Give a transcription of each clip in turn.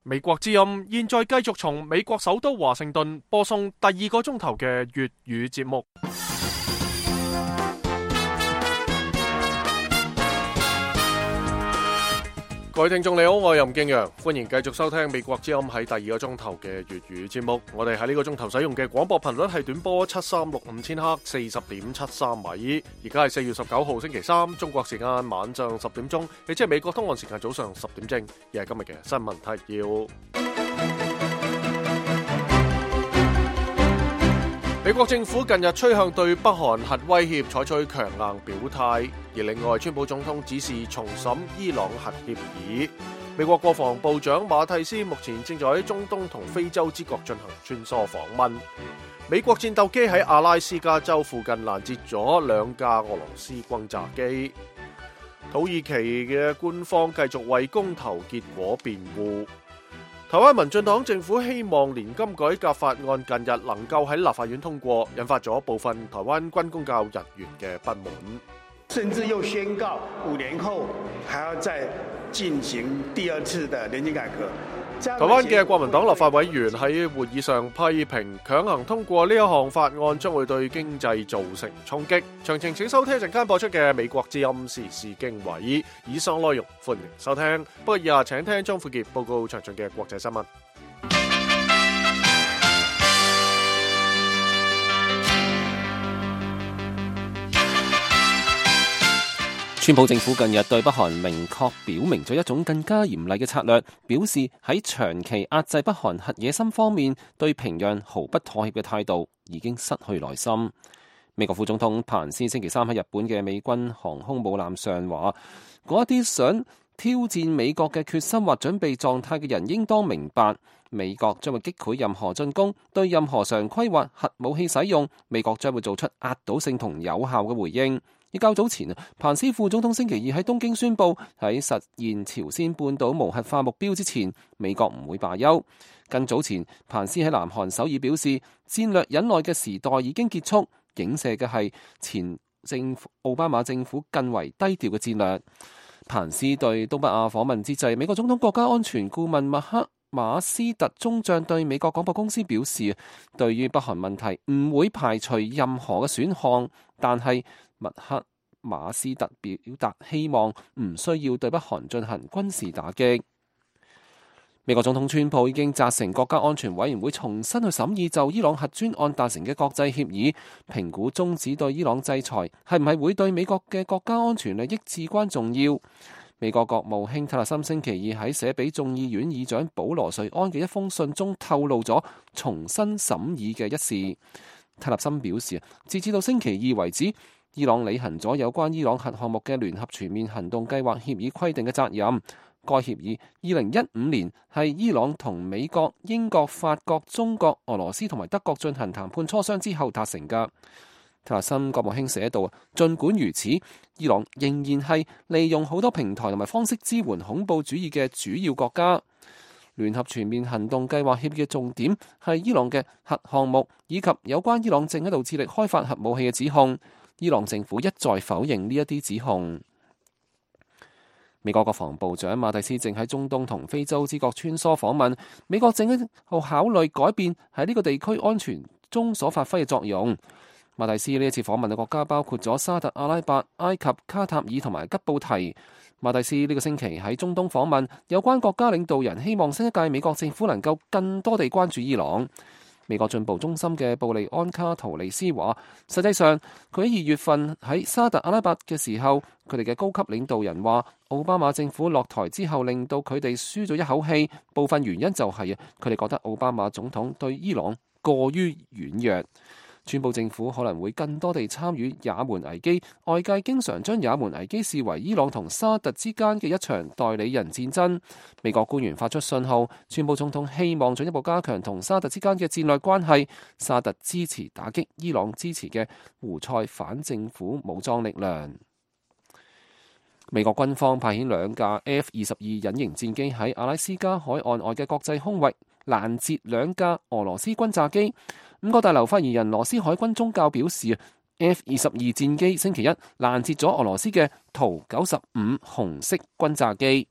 美國之音現在繼續從美國首都華盛頓播送第2個鐘頭嘅粵語節目。各位聽眾你好，我係任敬陽，歡迎繼續收聽美國之音喺第2個鐘頭嘅粵語節目。我哋喺呢個鐘頭使用嘅廣播頻率係短波7365千赫40.73米。而家係4月19號星期三，中國時間晚上10點鐘，亦即係美國東岸時間早上10點正。而係今日嘅新聞提要。美國政府近日趨向對北韓核威脅採取強硬表態，而另外川普總統指示重審伊朗核協議。美國國防部長馬蒂斯目前正在中東同非洲之國進行穿梭訪問。美國戰鬥機喺阿拉斯加州附近攔截咗2架俄羅斯轟炸機。土耳其嘅官方繼續為公投結果辯護。台灣民進黨政府希望年金改革法案近日能夠喺立法院通過，引發咗部分台灣軍公教人員嘅不滿，甚至又宣告5年後還要再進行第2次的年金改革。台灣嘅國民黨立法委員喺會議上批評強行通過呢一項法案將會對經濟造成衝擊。詳情請收聽陣間播出嘅美國之音時事經緯，以上內容歡迎收聽。不過以下請聽張富傑報告詳盡嘅國際新聞。川普政府近日對北韓明確表明咗一種更加嚴厲嘅策略，表示喺長期壓制北韓核野心方面，對平壤毫不妥協嘅態度已經失去耐心。美國副總統彭斯星期三喺日本嘅美軍航空母艦上話，嗰一啲想挑戰美國嘅決心或準備狀態嘅人應當明白，美國將會擊潰任何進攻，對任何常規或核武器使用，美國將會做出壓倒性同有效嘅回應。而較早前，彭斯副總統星期二喺東京宣布，喺實現朝鮮半島無核化目標之前，美國唔會罷休。更早前，彭斯喺南韓首爾表示，戰略忍耐嘅時代已經結束，影射嘅係前奧巴馬政府更為低調嘅戰略。彭斯對東北亞訪問之際，美國總統國家安全顧問麥克馬斯特中將對美國廣播公司表示，對於北韓問題唔會排除任何嘅選項，但係麥克馬斯特表達希望唔需要對北韓進行軍事打擊。美國總統川普已經責成國家安全委員會重新去審議就伊朗核專案達成嘅國際協議，評估終止對伊朗制裁係唔係會對美國嘅國家安全利益至關重要。美國國務卿特勒森星期二喺寫俾眾議院議長保羅瑞安嘅一封信中透露咗重新審議嘅一事。特勒森表示，截至到星期二為止，伊朗履行咗有關伊朗核項目嘅聯合全面行動計劃協議規定嘅責任。該協議2015年係伊朗同美國、英國、法國、中國、俄羅斯同埋德國進行談判磋商之後達成㗎。特勒森國務卿寫道，儘管如此，伊朗仍然係利用好多平台同埋方式支援恐怖主義嘅主要國家。聯合全面行動計劃協議嘅重點係伊朗嘅核項目以及有關伊朗正喺度致力開發核武器嘅指控。伊朗政府一再否認呢一啲指控。美國國防部長馬蒂斯正喺中東同非洲之國穿梭訪問，美國正喺度考慮改變喺呢個地區安全中所發揮嘅作用。馬蒂斯呢一次訪問嘅國家包括咗沙特阿拉伯、埃及、卡塔爾同埋吉布提。馬蒂斯呢個星期喺中東訪問，有關國家領導人希望新一屆美國政府能夠更多地關注伊朗。美國進步中心嘅布利安卡圖利斯話，實際上佢喺2月份喺沙特阿拉伯嘅時候，佢哋嘅高級領導人話，奧巴馬政府落台之後令到佢哋舒咗一口氣，部分原因就係佢哋覺得奧巴馬總統對伊朗過於軟弱。川普政府可能會更多地參與也門危機，外界經常將也門危機視為伊朗同沙特之間嘅一場代理人戰爭。美國官員發出信號，川普總統希望進一步加強同沙特之間嘅戰略關係。沙特支持打擊伊朗支持嘅胡塞反政府武裝力量。美國軍方派遣2架 F-22 隱形戰機喺阿拉斯加海岸外嘅國際空域攔截2架俄羅斯轟炸機。5個大樓發言人羅斯海軍宗教表示， F-22 戰機星期一攔截咗俄羅斯嘅圖95紅色轟炸機。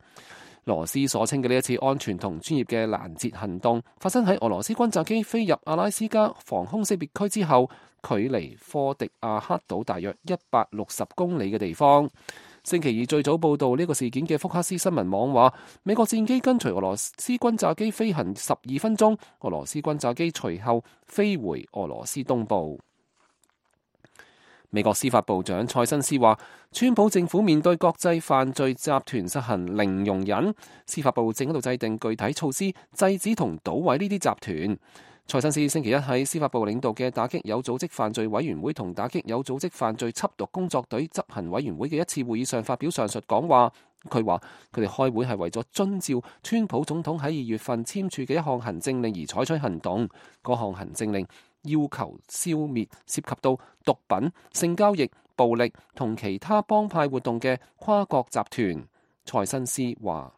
俄羅斯所稱嘅呢一次安全同專業嘅攔截行動，發生喺俄羅斯轟炸機飛入阿拉斯加防空識別區之後，距離科迪亞克島大約160公里嘅地方。星期二最早報導呢個事件嘅福克斯新聞網話，美國戰機跟隨俄羅斯轟炸機飛行12分鐘，俄羅斯轟炸機隨後飛回俄羅斯東部。美國司法部長塞申斯話，川普政府面對國際犯罪集團實行零容忍，司法部正喺度制定具體措施，制止同搗毀呢啲集團。塞申斯星期一喺司法部領導嘅打擊有組織犯罪委員會同打擊有組織犯罪緝毒工作隊執行委員會嘅一次會議上發表上述講話。佢話佢哋開會係為咗遵照川普總統喺2月份簽署嘅一項行政令而採取行動。嗰項行政令要求消滅涉及到毒品、性交易、暴力同其他幫派活動嘅跨國集團。塞申斯話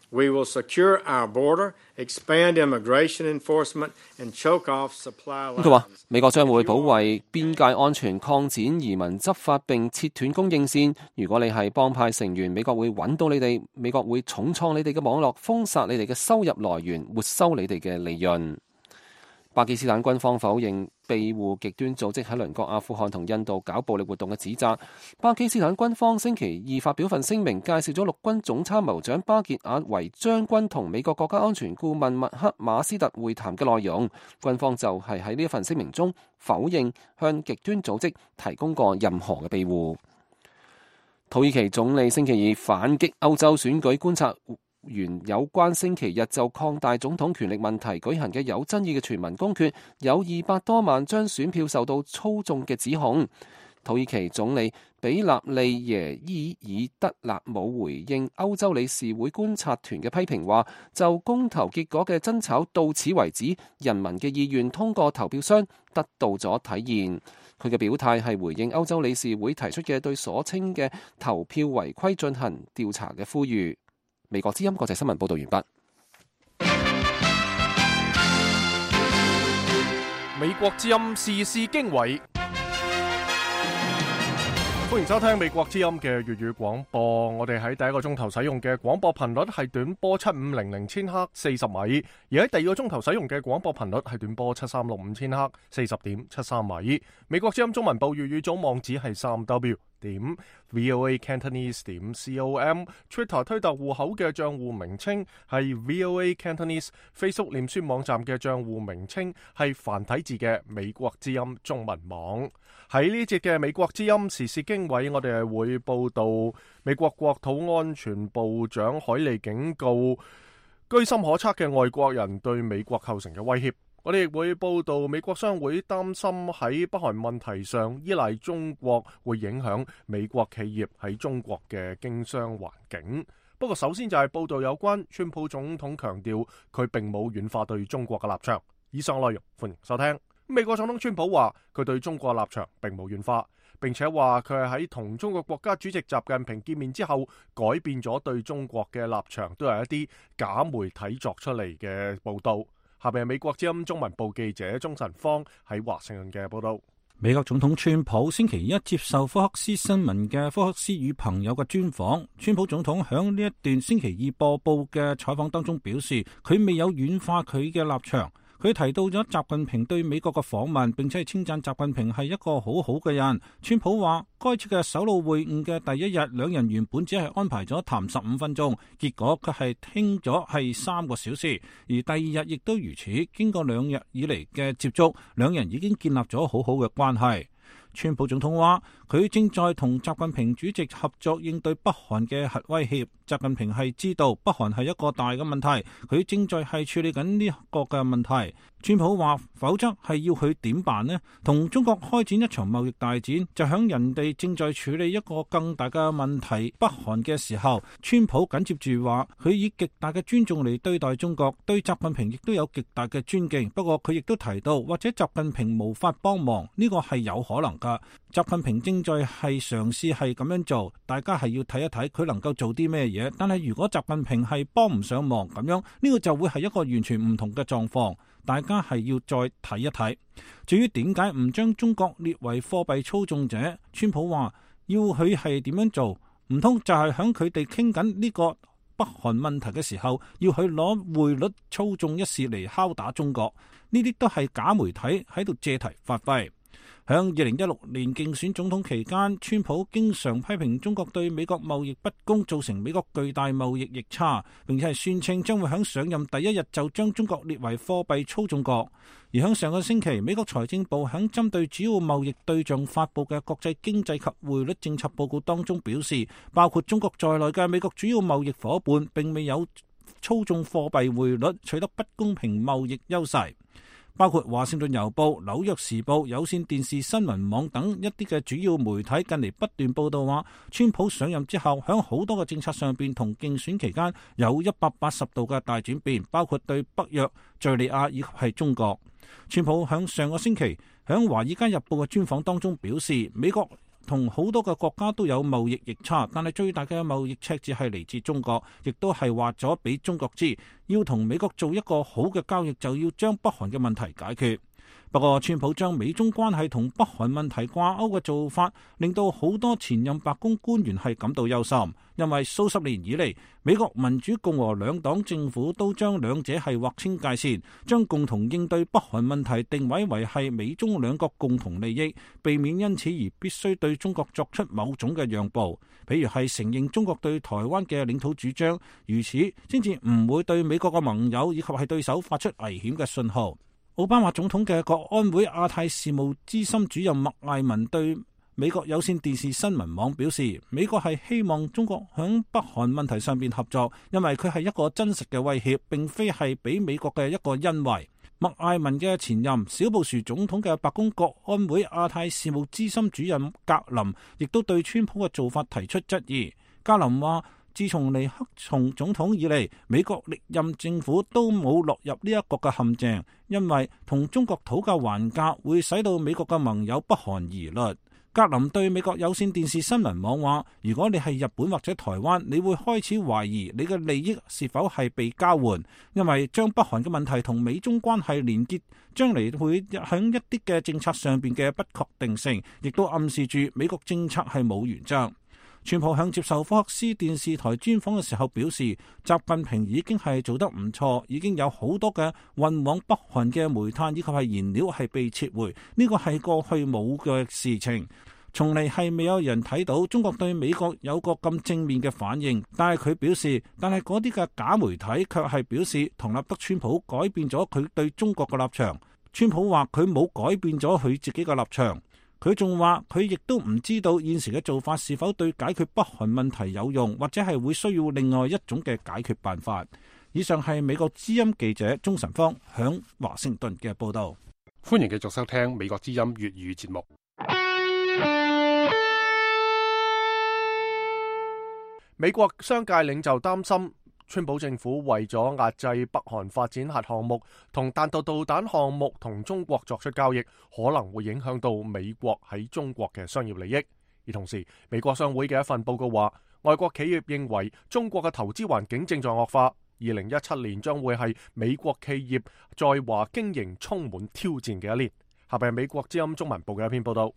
：We will secure our border, expand immigration enforcement, and choke off supply lines. 佢話美國將會保衛邊界安全、擴展移民執法並切斷供應線。如果你係幫派成員，美國會揾到你哋，美國會重創你哋嘅網絡，封殺你哋嘅收入來源，沒收你哋嘅利潤。巴基斯坦軍方否認庇護極端組織喺鄰國阿富汗同印度搞暴力活動嘅指責。巴基斯坦軍方星期二發表份聲明，介紹咗陸軍總參謀長巴傑爾維將軍同美國國家安全顧問麥克馬斯特會談嘅內容。軍方就係喺呢一份聲明中否認向極端組織提供過任何嘅庇護。土耳其總理星期二反擊歐洲選舉觀察原有關星期日就擴大總統權力問題舉行嘅有爭議嘅全民公決，有200多萬張選票受到操縱嘅指控。土耳其總理比納利耶伊爾德勒姆回應歐洲理事會觀察團嘅批評，話就公投結果嘅爭吵到此為止，人民嘅意願通過投票箱得到咗體現。佢嘅表態係回應歐洲理事會提出嘅對所稱嘅投票違規進行調查嘅呼籲。美國之音國際新聞報道完畢。美國之音時事經緯，歡迎收聽美國之音嘅粵語廣播。我哋喺第一個鐘頭使用嘅廣播頻率係短波7500千赫40米，而喺第二個鐘頭使用嘅廣播頻率係短波7365千赫40.73米。美國之音中文部粵語組網址係3w.voacantonese.com，Twitter 推特戶口嘅賬戶名稱係 voacantonese，Facebook 臉書網站嘅賬戶名稱係繁體字嘅美國之音中文網。喺呢節嘅美國之音時事經緯，我哋係會報道美國國土安全部長海利警告居心可測嘅外國人對美國構成嘅威脅。我哋亦會報道美國商會擔心喺北韓問題上依賴中國會影響美國企業喺中國嘅經商環境。不過首先就係報道有關川普總統強調佢並冇軟化對中國嘅立場。以上內容歡迎收聽。美國總統川普話佢對中國立場並冇軟化，並且話佢係喺同中國國家主席習近平見面之後改變咗對中國嘅立場，都係一啲假媒體作出嚟嘅報道。下邊係美國之音中文部記者鍾晨芳喺華盛頓嘅報道。美國總統川普星期一接受福克斯新聞嘅福克斯與朋友嘅專訪，川普總統響呢一段星期二播報嘅採訪當中表示，佢未有軟化佢嘅立場。佢提到咗習近平對美國嘅訪問，並且係稱讚習近平係一個好好嘅人。川普話，該次嘅首腦會晤嘅第一日，兩人原本只係安排咗談15分鐘，結果佢係傾咗係3個小時，而第二日亦都如此。經過2日以嚟嘅接觸，兩人已經建立咗好好嘅關係。川普總統話，佢正在同習近平主席合作應對北韓嘅核威脅。習近平係知道北韓係一個大嘅問題，佢正在係處理緊呢個嘅問題。川普話，否則係要佢點辦呢？同中國開展一場貿易大戰，就響人哋正在處理一個更大嘅問題北韓嘅時候，川普緊接住話，佢以極大嘅尊重嚟對待中國，對習近平亦都有極大嘅尊敬。不過佢亦都提到，或者習近平無法幫忙，呢個係有可能噶。習近平正在係嘗試係咁樣做，大家係要睇一睇佢能夠做啲咩嘢。但係如果習近平係幫唔上忙咁樣，呢個就會係一個完全唔同嘅狀況。大家係要再睇一睇。至於點解唔將中國列為貨幣操縱者，川普話要佢係點樣做，唔通就係響佢哋傾緊呢個北韓問題嘅時候，要去攞匯率操縱一事嚟敲打中國，呢啲都係假媒體喺度借題發揮。響2016年競選總統期間，川普經常批評中國對美國貿易不公，造成美國巨大貿易逆差，並且係宣稱將會響上任第一日就將中國列為貨幣操縱國。而響上個星期，美國財政部響針對主要貿易對象發布嘅國際經濟及匯率政策報告當中表示，包括中國在內嘅美國主要貿易夥伴並未有操縱貨幣匯率取得不公平貿易優勢。包括華盛頓郵報、紐約時報、有線電視新聞網等一啲嘅主要媒體近嚟不斷報道話，川普上任之後響好多嘅政策上邊同競選期間有180度嘅大轉變，包括對北約、敘利亞以及係中國。川普響上個星期響華爾街日報嘅專訪當中表示，美國同好多嘅國家都有貿易逆差，但係最大嘅貿易赤字係嚟自中國，亦都係話咗俾中國知，要同美國做一個好嘅交易，就要將北韓嘅問題解決。不過，川普將美中關係同北韓問題掛鈎嘅做法，令到好多前任白宮官員係感到憂心，因為數十年以嚟，美國民主共和兩黨政府都將兩者係劃清界線，將共同應對北韓問題定位為係美中兩國共同利益，避免因此而必須對中國作出某種嘅讓步，譬如係承認中國對台灣嘅領土主張，如此先至唔會對美國嘅盟友以及係對手發出危險嘅信號。奧巴馬總統嘅國安會亞太事務資深主任麥艾文對美國有線電視新聞網表示，美國係希望中國響北韓問題上邊合作，因為佢係一個真實嘅威脅，並非係俾美國嘅一個恩惠。麥艾文嘅前任小布殊總統嘅白宮國安會亞太事務資深主任格林亦都對川普嘅做法提出質疑。格林話，自從尼克松總統以嚟，美國歷任政府都冇落入呢一個嘅陷阱，因為同中國討價還價會使到美國嘅盟友北韓疑慮。格林對美國有線電視新聞網話，如果你係日本或者台灣，你會開始懷疑你嘅利益是否係被交換，因為將北韓嘅問題同美中關係連結，將嚟會響一啲嘅政策上邊嘅不確定性，亦都暗示住美國政策係冇原則。川普向接受福克斯電視台專訪嘅時候表示，習近平已經係做得唔錯，已經有好多嘅運往北韓嘅煤炭以及係燃料係被撤回，呢個係過去冇嘅事情，從嚟係未有人睇到中國對美國有個咁正面嘅反應。但係佢表示，但係嗰啲嘅假媒體卻係表示唐納德川普改變咗佢對中國嘅立場。川普話佢冇改變咗佢自己嘅立場。佢仲話佢亦都唔知道現時嘅做法是否對解決北韓問題有用，或者係會需要另外一種嘅解決辦法。以上係美國之音記者鍾晨芳響華盛頓嘅報道。歡迎繼續收聽美國之音粵語節目。美國商界領袖擔心，川普政府為咗壓制北韓發展核項目同彈道導彈項目同中國作出交易，可能會影響到美國喺中國嘅商業利益。而同時，美國商會嘅一份報告話，外國企業認為中國嘅投資環境正在惡化，2017年將會係美國企業在華經營充滿挑戰嘅一年。下邊係美國之音中文部嘅一篇報道。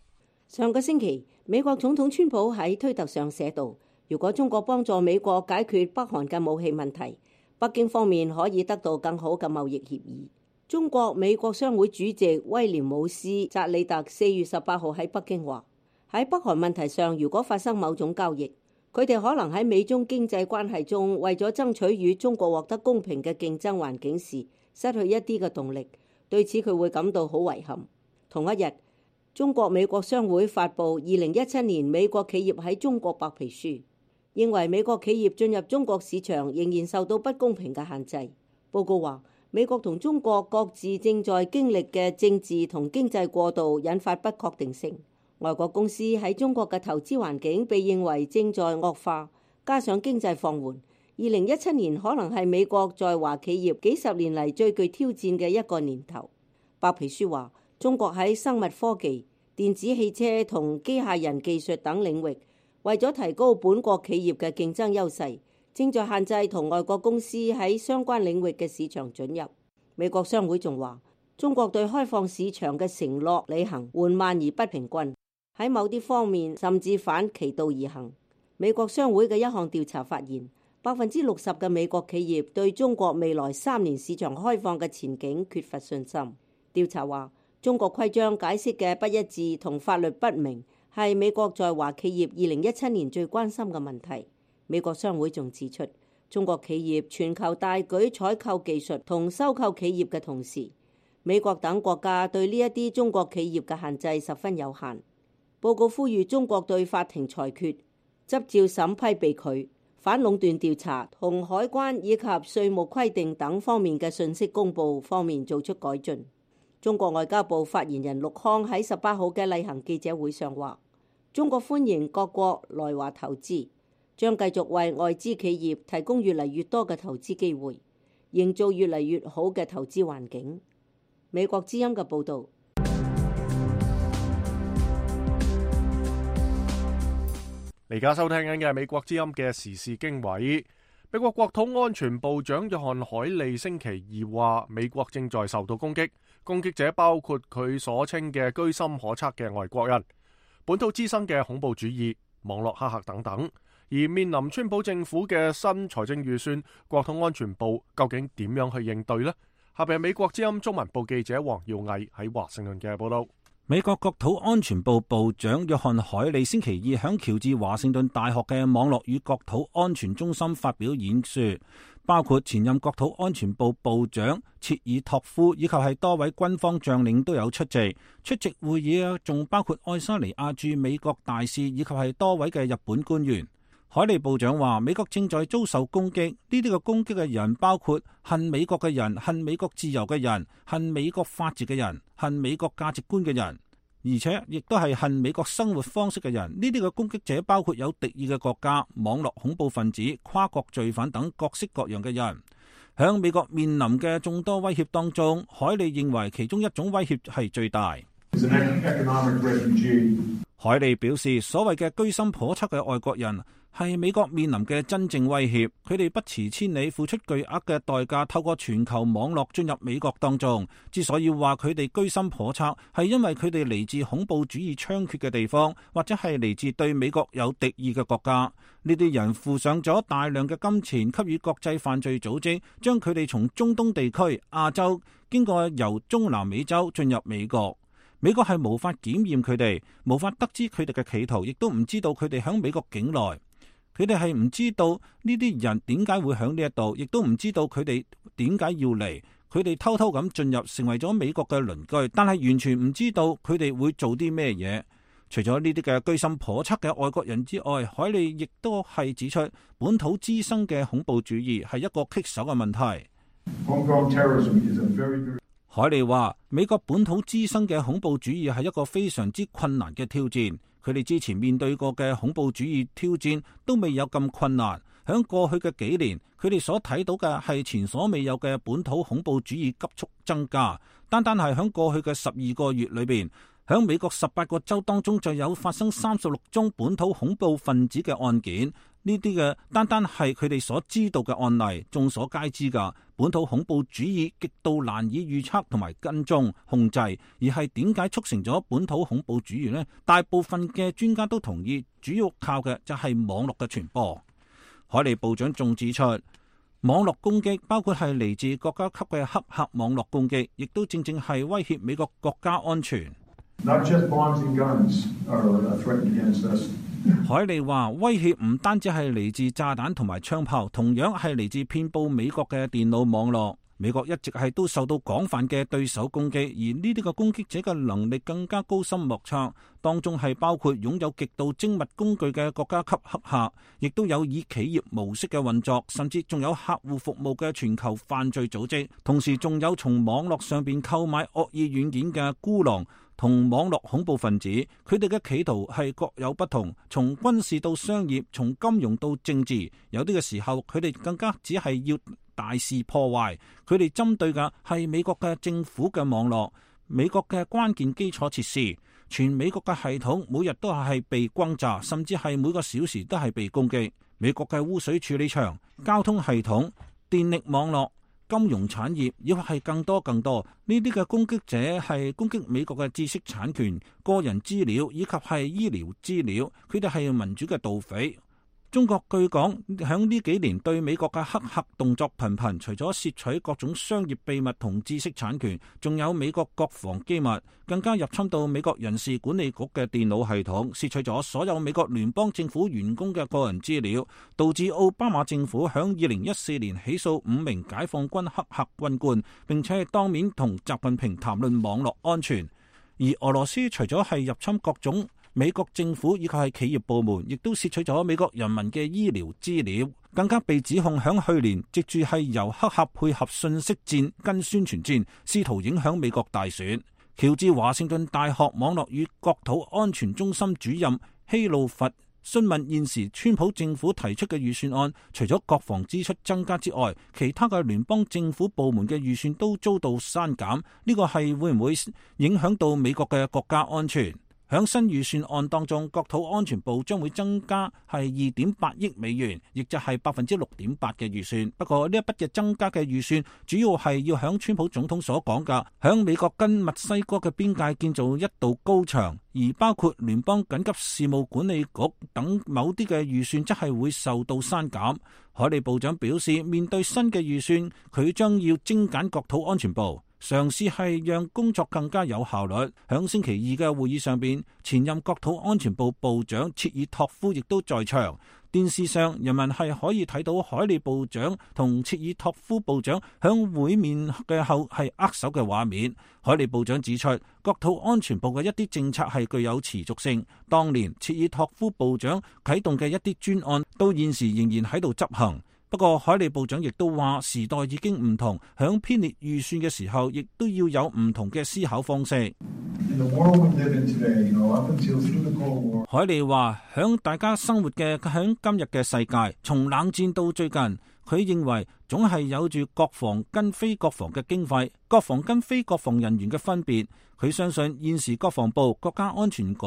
上個星期，美國總統川普喺推特上寫道，如果中國幫助美國解決北韓嘅武器問題，北京方面可以得到更好嘅貿易協議。中國美國商會主席威廉姆斯扎里特4月18號喺北京話，喺北韓問題上，如果發生某種交易，佢哋可能喺美中經濟關係中為咗爭取與中國獲得公平嘅競爭環境時，失去一啲嘅動力。對此佢會感到好遺憾。同一日，中國美國商會發布2017年美國企業喺中國白皮書，認為美國企業進入中國市場仍然受到不公平嘅限制。報告話，美國同中國各自正在經歷嘅政治同經濟過渡引發不確定性。外國公司喺中國嘅投資環境被認為正在惡化，加上經濟放緩，2017年可能係美國在華企業幾十年嚟最具挑戰嘅一個年頭。白皮書話，中國喺生物科技、電子汽車同機械人技術等領域，為咗提高本國企業嘅競爭優勢，正在限制同外國公司喺相關領域嘅市場准入。美國商會仲話，中國對開放市場嘅承諾履行緩慢而不平均，喺某啲方面甚至反其道而行。美國商會嘅一項調查發現， 60% 嘅美國企業對中國未來3年市場開放嘅前景缺乏信心。調查話，中國規章解釋嘅不一致同法律不明係美國在華企業2017年最關心嘅問題。美國商會仲指出，中國企業全球大舉採購技術同收購企業嘅同時，美國等國家對呢一啲中國企業嘅限制十分有限。報告呼籲中國對法庭裁決、執照審批被拒、反壟斷調查同海關以及稅務規定等方面嘅信息公佈方面做出改進。中國外交部發言人陸康喺18號嘅例行記者會上話，中國歡迎各國來華投資，將繼續為外資企業提供越嚟越多嘅投資機會，營造越嚟越好嘅投資環境。美國之音嘅報導。而家收聽緊嘅係美國之音嘅時事經緯。美國國土安全部長約翰海利星期二話，美國正在受到攻擊，攻擊者包括佢所稱嘅居心可測嘅外國人、本土滋生嘅恐怖主義、網絡黑客等等。而面臨川普政府嘅新財政預算，國土安全部究竟點樣去應對呢？下邊係美國之音中文部記者黃耀毅喺華盛頓嘅報道。美國國土安全部部長約翰海利星期二響喬治華盛頓大學嘅網絡與國土安全中心發表演說，包括前任國土安全部部長切爾托夫以及係多位軍方將領都有出席。出席會議仲包括愛沙尼亞駐美國大使以及係多位嘅日本官員。海利部長話，美國正在遭受攻擊，呢啲嘅攻擊嘅人包括恨美國嘅人、恨美國自由嘅人、恨美國法治嘅人、恨美國價值觀嘅人，而且亦都係恨美國生活方式嘅人。呢啲嘅攻擊者包括有敵意嘅國家、網絡恐怖分子、跨國罪犯等各式各樣嘅人。響美國面臨嘅眾多威脅當中，海利認為其中一種威脅係最大。海利表示，所謂嘅居心叵測嘅外國人係美國面臨嘅真正威脅，佢哋不辭千里付出巨額嘅代價，透過全球網絡進入美國當中。之所以話佢哋居心叵測，係因為佢哋嚟自恐怖主義猖獗嘅地方，或者係嚟自對美國有敵意嘅國家。呢啲人付上咗大量嘅金錢，給予國際犯罪組織，將佢哋從中東地區、亞洲經過由中南美洲進入美國。美國係無法檢驗佢哋，無法得知佢哋嘅企圖，亦都唔知道佢哋響美國境內。佢哋係唔知道呢啲人點解會響呢一度，亦都唔知道佢哋點解要嚟。佢哋偷偷咁進入，成為咗美國嘅鄰居，但係完全唔知道佢哋會做啲咩嘢。除咗呢啲嘅居心叵測嘅外國人之外，海利亦都係指出本土滋生嘅恐怖主義係一個棘手嘅問題。海利話，美國本土滋生嘅恐怖主義係一個非常之困難嘅挑戰。佢哋之前面對過嘅恐怖主義挑戰都未有咁困難。響過去嘅幾年，佢哋所睇到嘅係前所未有嘅本土恐怖主義急速增加。單單係響過去嘅12個月裏邊，響美國18個州當中就有發生36宗本土恐怖分子嘅案件。呢啲嘅單單係佢哋所知道嘅案例，眾所皆知噶。本土恐怖主義極度難以預測同埋跟蹤控制，而係點解促成咗本土恐怖主義呢？大部分嘅專家都同意，主要靠嘅就係網絡嘅傳播。海利部長仲指出，網絡攻擊包括係嚟自國家級嘅黑客網絡攻擊，亦都正正係威脅美國國家安全。海利話，威脅唔單止係嚟自炸彈同埋槍炮，同樣係嚟自遍佈美國嘅電腦網絡。美國一直係都受到廣泛嘅對手攻擊，而呢啲嘅攻擊者嘅能力更加高深莫測，當中係包括擁有極度精密工具嘅國家級黑客，亦都有以企業模式嘅運作，甚至仲有客戶服務嘅全球犯罪組織，同時仲有從網絡上邊購買惡意軟件嘅孤狼同網絡恐怖分子。佢哋嘅企圖係各有不同，從軍事到商業，從金融到政治，有啲嘅時候佢哋更加只係要大肆破壞。佢哋針對嘅係美國嘅政府嘅網絡、美國嘅關鍵基礎設施，全美國嘅系統每日都係被轟炸，甚至係每個小時都係被攻擊。美國嘅污水處理廠、交通系統、電力網絡、金融產業，亦或係更多呢啲嘅攻擊者係攻擊美國嘅知識產權、個人資料以及係醫療資料。佢哋係民主嘅盜匪。中國據講響呢幾年對美國嘅黑客動作頻頻，除咗竊取各種商業秘密同知識產權，仲有美國國防機密，更加入侵到美國人事管理局嘅電腦系統，竊取咗所有美國聯邦政府員工嘅個人資料，導致奧巴馬政府響2014年起訴5名解放軍黑客軍官，並且係當面同習近平談論網絡安全。而俄羅斯除咗係入侵各種美國政府以及係企業部門，亦都竊取咗美國人民嘅醫療資料，更加被指控響去年藉住係由黑客配合信息戰跟宣傳戰，試圖影響美國大選。喬治華盛頓大學網絡與國土安全中心主任希路佛詢問現時川普政府提出嘅預算案，除咗國防支出增加之外，其他嘅聯邦政府部門嘅預算都遭到刪減，呢個係會唔會影響到美國嘅國家安全？響新預算案當中，國土安全部將會增加係2.8億美元，亦就係6.8%嘅預算。不過呢一筆嘅增加嘅預算，主要係要響川普總統所講嘅，響美國跟墨西哥嘅邊界建造一道高牆，而包括聯邦緊急事務管理局等某啲嘅預算，則係會受到刪減。海利部長表示，面對新嘅預算，佢將要精簡國土安全部，嘗試係讓工作更加有效率。響星期二嘅會議上邊，前任國土安全部部長切爾托夫亦都在場。電視上人民係可以睇到海利部長同切爾托夫部長響會面嘅後係握手嘅畫面。海利部長指出，國土安全部嘅一啲政策係具有持續性。當年切爾托夫部長啟動嘅一啲專案，到現時仍然喺度執行。不過海利部長亦都話，時代已經唔同，響編列預算嘅時候，亦都要有唔同嘅思考方式。海利話，響大家生活嘅響今日嘅世界，從冷戰到最近，佢認為總係有住國防跟非國防嘅經費，國防跟非國防人員嘅分別。佢相信現時國防部、國家安全局、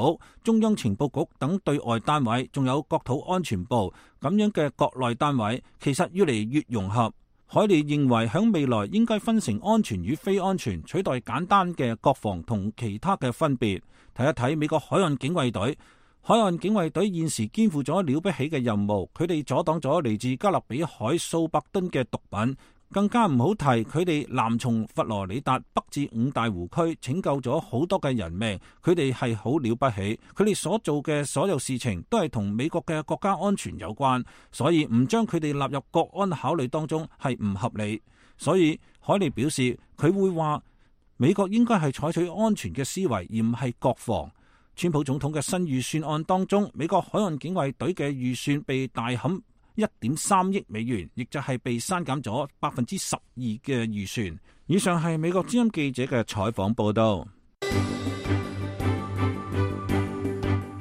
中央情報局等對外單位，仲有國土安全部咁樣嘅國內單位，其實越嚟越融合。海利認為響未來應該分成安全與非安全，取代簡單嘅國防同其他嘅分別。睇一睇美國海岸警衛隊。海岸警衛隊現時肩負咗了不起嘅任務，佢哋阻擋咗嚟自加勒比海數百噸嘅毒品，更加唔好提佢哋南從佛羅里達北至五大湖區拯救咗好多嘅人命，佢哋係好了不起，佢哋所做嘅所有事情都係同美國嘅國家安全有關，所以唔將佢哋納入國安考慮當中係唔合理。所以海利表示，佢會話美國應該係採取安全嘅思維，而唔係國防。川普總統嘅新預算案當中，美國海岸警衛隊嘅預算被大砍1.3億美元，亦就係被刪減咗12%嘅預算。以上係美國之音記者嘅採訪報道。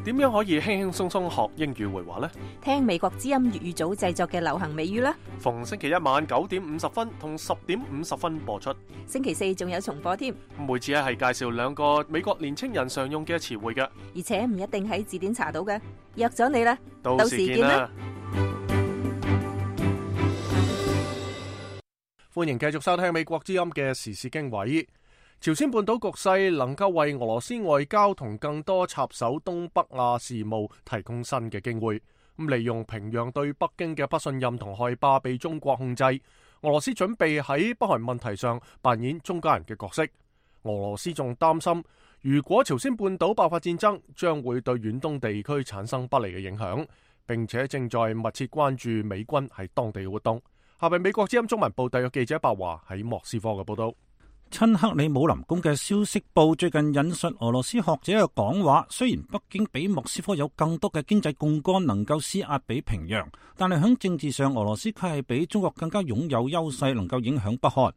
點樣可以輕輕鬆鬆學英語會話呢？聽美國之音粵語組製作嘅流行美語啦。逢星期一晚9點50分同10點50分播出。星期四仲有重播添。每次係介紹2個美國年青人常用嘅詞彙嘅，而且唔一定喺字典查到嘅。約咗你啦，到時見啦。歡迎繼續收聽美國之音嘅時事經緯。朝鮮半島局勢能夠為俄羅斯外交同更多插手東北亞事務提供新嘅機會。利用平壤對北京嘅不信任同害怕被中國控制，俄羅斯準備喺北韓問題上扮演中間人嘅角色。俄羅斯仲擔心，如果朝鮮半島爆發戰爭，將會對遠東地區產生不利嘅影響，並且正在密切關注美軍喺當地嘅活動。下邊美國之音中文部特約記者白華喺莫斯科嘅報道。親克里姆林宮嘅消息報最近引述俄羅斯學者嘅講話，雖然北京比莫斯科有更多嘅經濟槓桿能夠施壓俾平壤，但係喺政治上，俄羅斯卻係比中國更加擁有優勢，能夠影響北韓。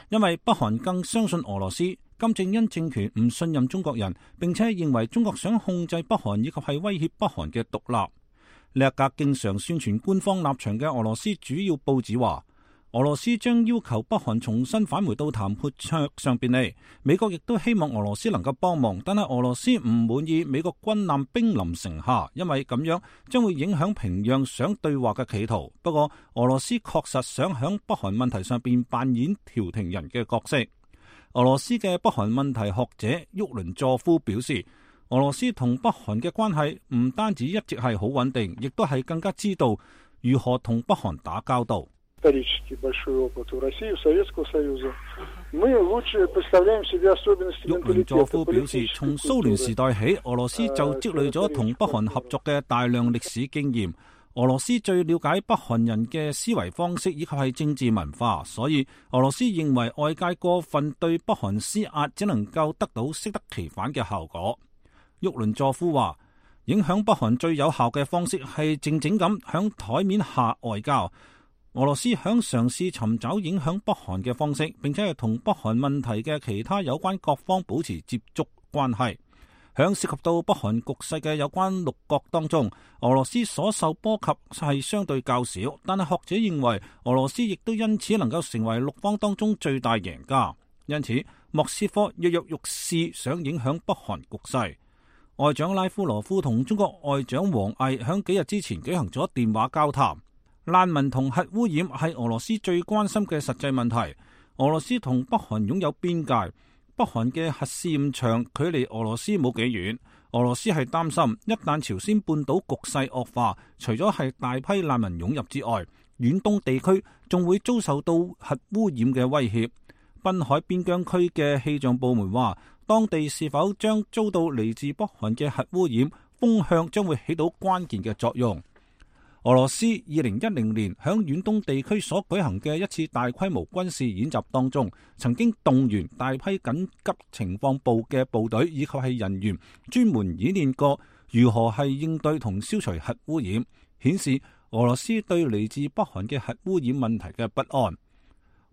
因為北韓更相信俄羅斯，金正恩政權唔信任中國人，並且認為中國想控制北韓以及係威脅北韓嘅獨立。呢一格經常宣傳官方立場嘅俄羅斯主要報紙話，俄羅斯將要求北韓重新返回到談判桌上邊嚟。美國亦都希望俄羅斯能夠幫忙，但係俄羅斯唔滿意美國軍艦兵臨城下，因為咁樣將會影響平壤想對話嘅企圖。不過俄羅斯確實想響北韓問題上邊扮演調停人嘅角色。俄羅斯嘅北韓問題學者沃倫佐夫表示，俄羅斯同北韓嘅關係唔單止一直係好穩定，亦都係更加知道如何同北韓打交道。沃倫佐夫表示，從蘇聯時代起，俄羅斯就積累咗同北韓合作嘅大量歷史經驗。俄羅斯最了解北韓人嘅思維方式以及係政治文化，所以俄羅斯認為外界過分對北韓施壓，只能夠得到適得其反嘅效果。沃倫佐夫話，影響北韓最有效嘅方式係靜靜咁響台面下外交。俄羅斯響嘗試尋找影響北韓嘅方式，並且係同北韓問題嘅其他有關各方保持接觸關係。響涉及到北韓局勢嘅有關六國當中，俄羅斯所受波及係相對較少，但係學者認為俄羅斯亦都因此能夠成為六方當中最大贏家。因此，莫斯科躍躍欲試想影響北韓局勢。外長拉夫羅夫同中國外長王毅響幾日之前舉行咗電話交談。難民同核污染係俄羅斯最關心嘅實際問題。俄羅斯同北韓擁有邊界。北韓嘅核試驗場距離俄羅斯冇幾遠，俄羅斯係擔心一旦朝鮮半島局勢惡化，除咗係大批難民湧入之外，遠東地區仲會遭受到核污染嘅威脅。濱海邊疆區嘅氣象部門話，當地是否將遭到嚟自北韓嘅核污染，風向將會起到關鍵嘅作用。俄羅斯2010年響遠東地區所舉行嘅一次大規模軍事演習當中，曾經動員大批緊急情況部嘅部隊以及係人員，專門演練過如何係應對同消除核污染，顯示俄羅斯對嚟自北韓嘅核污染問題嘅不安。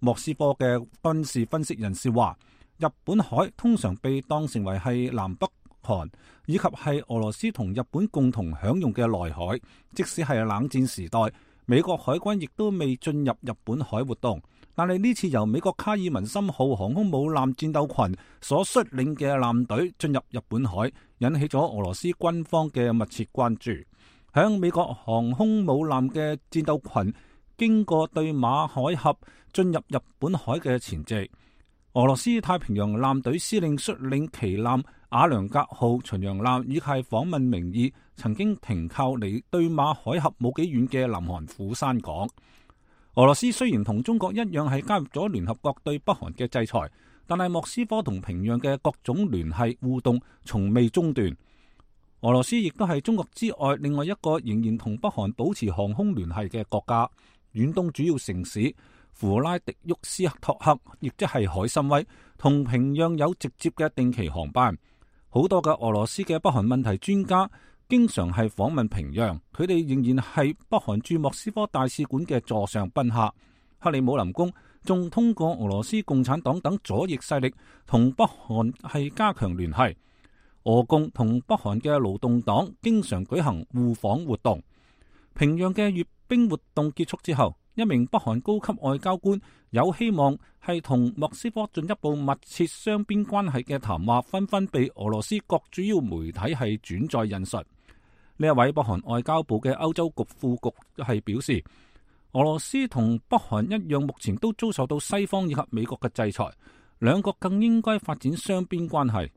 莫斯科嘅軍事分析人士話，日本海通常被當成為係南北韓以及係俄羅斯同日本共同享用嘅內海，即使係冷戰時代，美國海軍亦都未進入日本海活動。但係呢次由美國卡爾文森號航空母艦戰鬥群所率領嘅艦隊進入日本海，引起咗俄羅斯軍方嘅密切關注。響美國航空母艦嘅戰鬥群經過對馬海峽進入日本海嘅前夕，俄羅斯太平洋艦隊司令率領旗艦瓦良格號巡洋艦以及訪問名義曾經停靠離對馬海峽冇幾遠嘅南韓釜山港。俄羅斯雖然同中國一樣係加入咗聯合國對北韓嘅制裁，但係莫斯科同平壤嘅各種聯繫互動從未中斷。俄羅斯亦都係中國之外另外一個仍然同北韓保持航空聯繫嘅國家。遠東主要城市弗拉迪沃斯托克，亦即係海參崴，同平壤有直接嘅定期航班。好多嘅俄羅斯嘅北韓問題專家經常係訪問平壤，佢哋仍然係北韓駐莫斯科大使館嘅座上賓客。克里姆林宮仲通過俄羅斯共產黨等左翼勢力同北韓係加強聯繫。俄共同北韓嘅勞動黨經常舉行互訪活動。平壤嘅閱兵活動結束之後，一名北韓高級外交官有希望係同莫斯科進一步密切雙邊關係嘅談話，紛紛被俄羅斯各主要媒體係轉載引述。呢一位北韓外交部嘅歐洲局副局係表示，俄羅斯同北韓一樣，目前都遭受到西方以及美國嘅制裁，兩國更應該發展雙邊關係。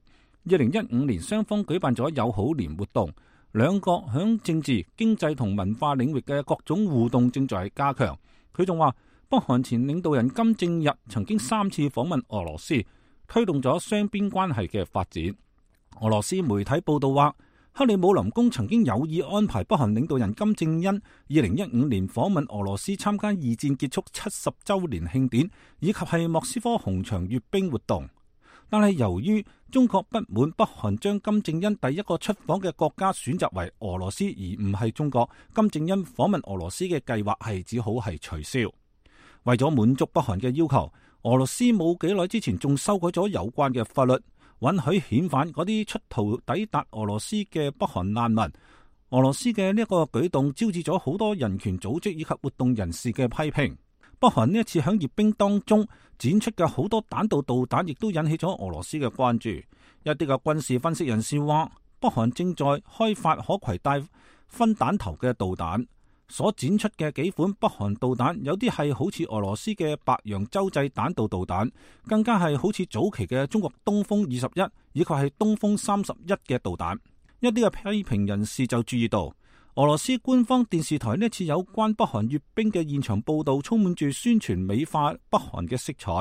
2015年雙方舉辦咗友好年活動，兩國響政治、經濟同文化領域嘅各種互動正在加強。佢仲話，北韓前領導人金正日曾經3次訪問俄羅斯，推動咗雙邊關係嘅發展。俄羅斯媒體報道話，克里姆林宮曾經有意安排北韓領導人金正恩2015年訪問俄羅斯，參加二戰結束70週年慶典，以及係莫斯科紅場閱兵活動。但係由於中國不滿北韓將金正恩第一個出訪嘅國家選擇為俄羅斯而唔係中國，金正恩訪問俄羅斯嘅計劃係只好係取消。為咗滿足北韓嘅要求，俄羅斯冇幾耐之前仲修改咗有關嘅法律，允許遣返嗰啲出逃抵達俄羅斯嘅北韓難民。俄羅斯嘅呢一個舉動招致咗好多人權組織以及活動人士嘅批評。北韓呢一次響閱兵當中展出嘅好多彈道導彈，亦都引起咗俄羅斯嘅關注。一啲嘅軍事分析人士話，北韓正在開發可攜帶分彈頭嘅導彈。所展出嘅幾款北韓導彈，有啲係好似俄羅斯嘅白楊洲際彈道導彈，更加係好似早期嘅中國東風21以及係東風31嘅導彈。一啲嘅批評人士就注意到，俄羅斯官方電視台呢次有關北韓閱兵嘅現場報道，充滿住宣傳美化北韓嘅色彩。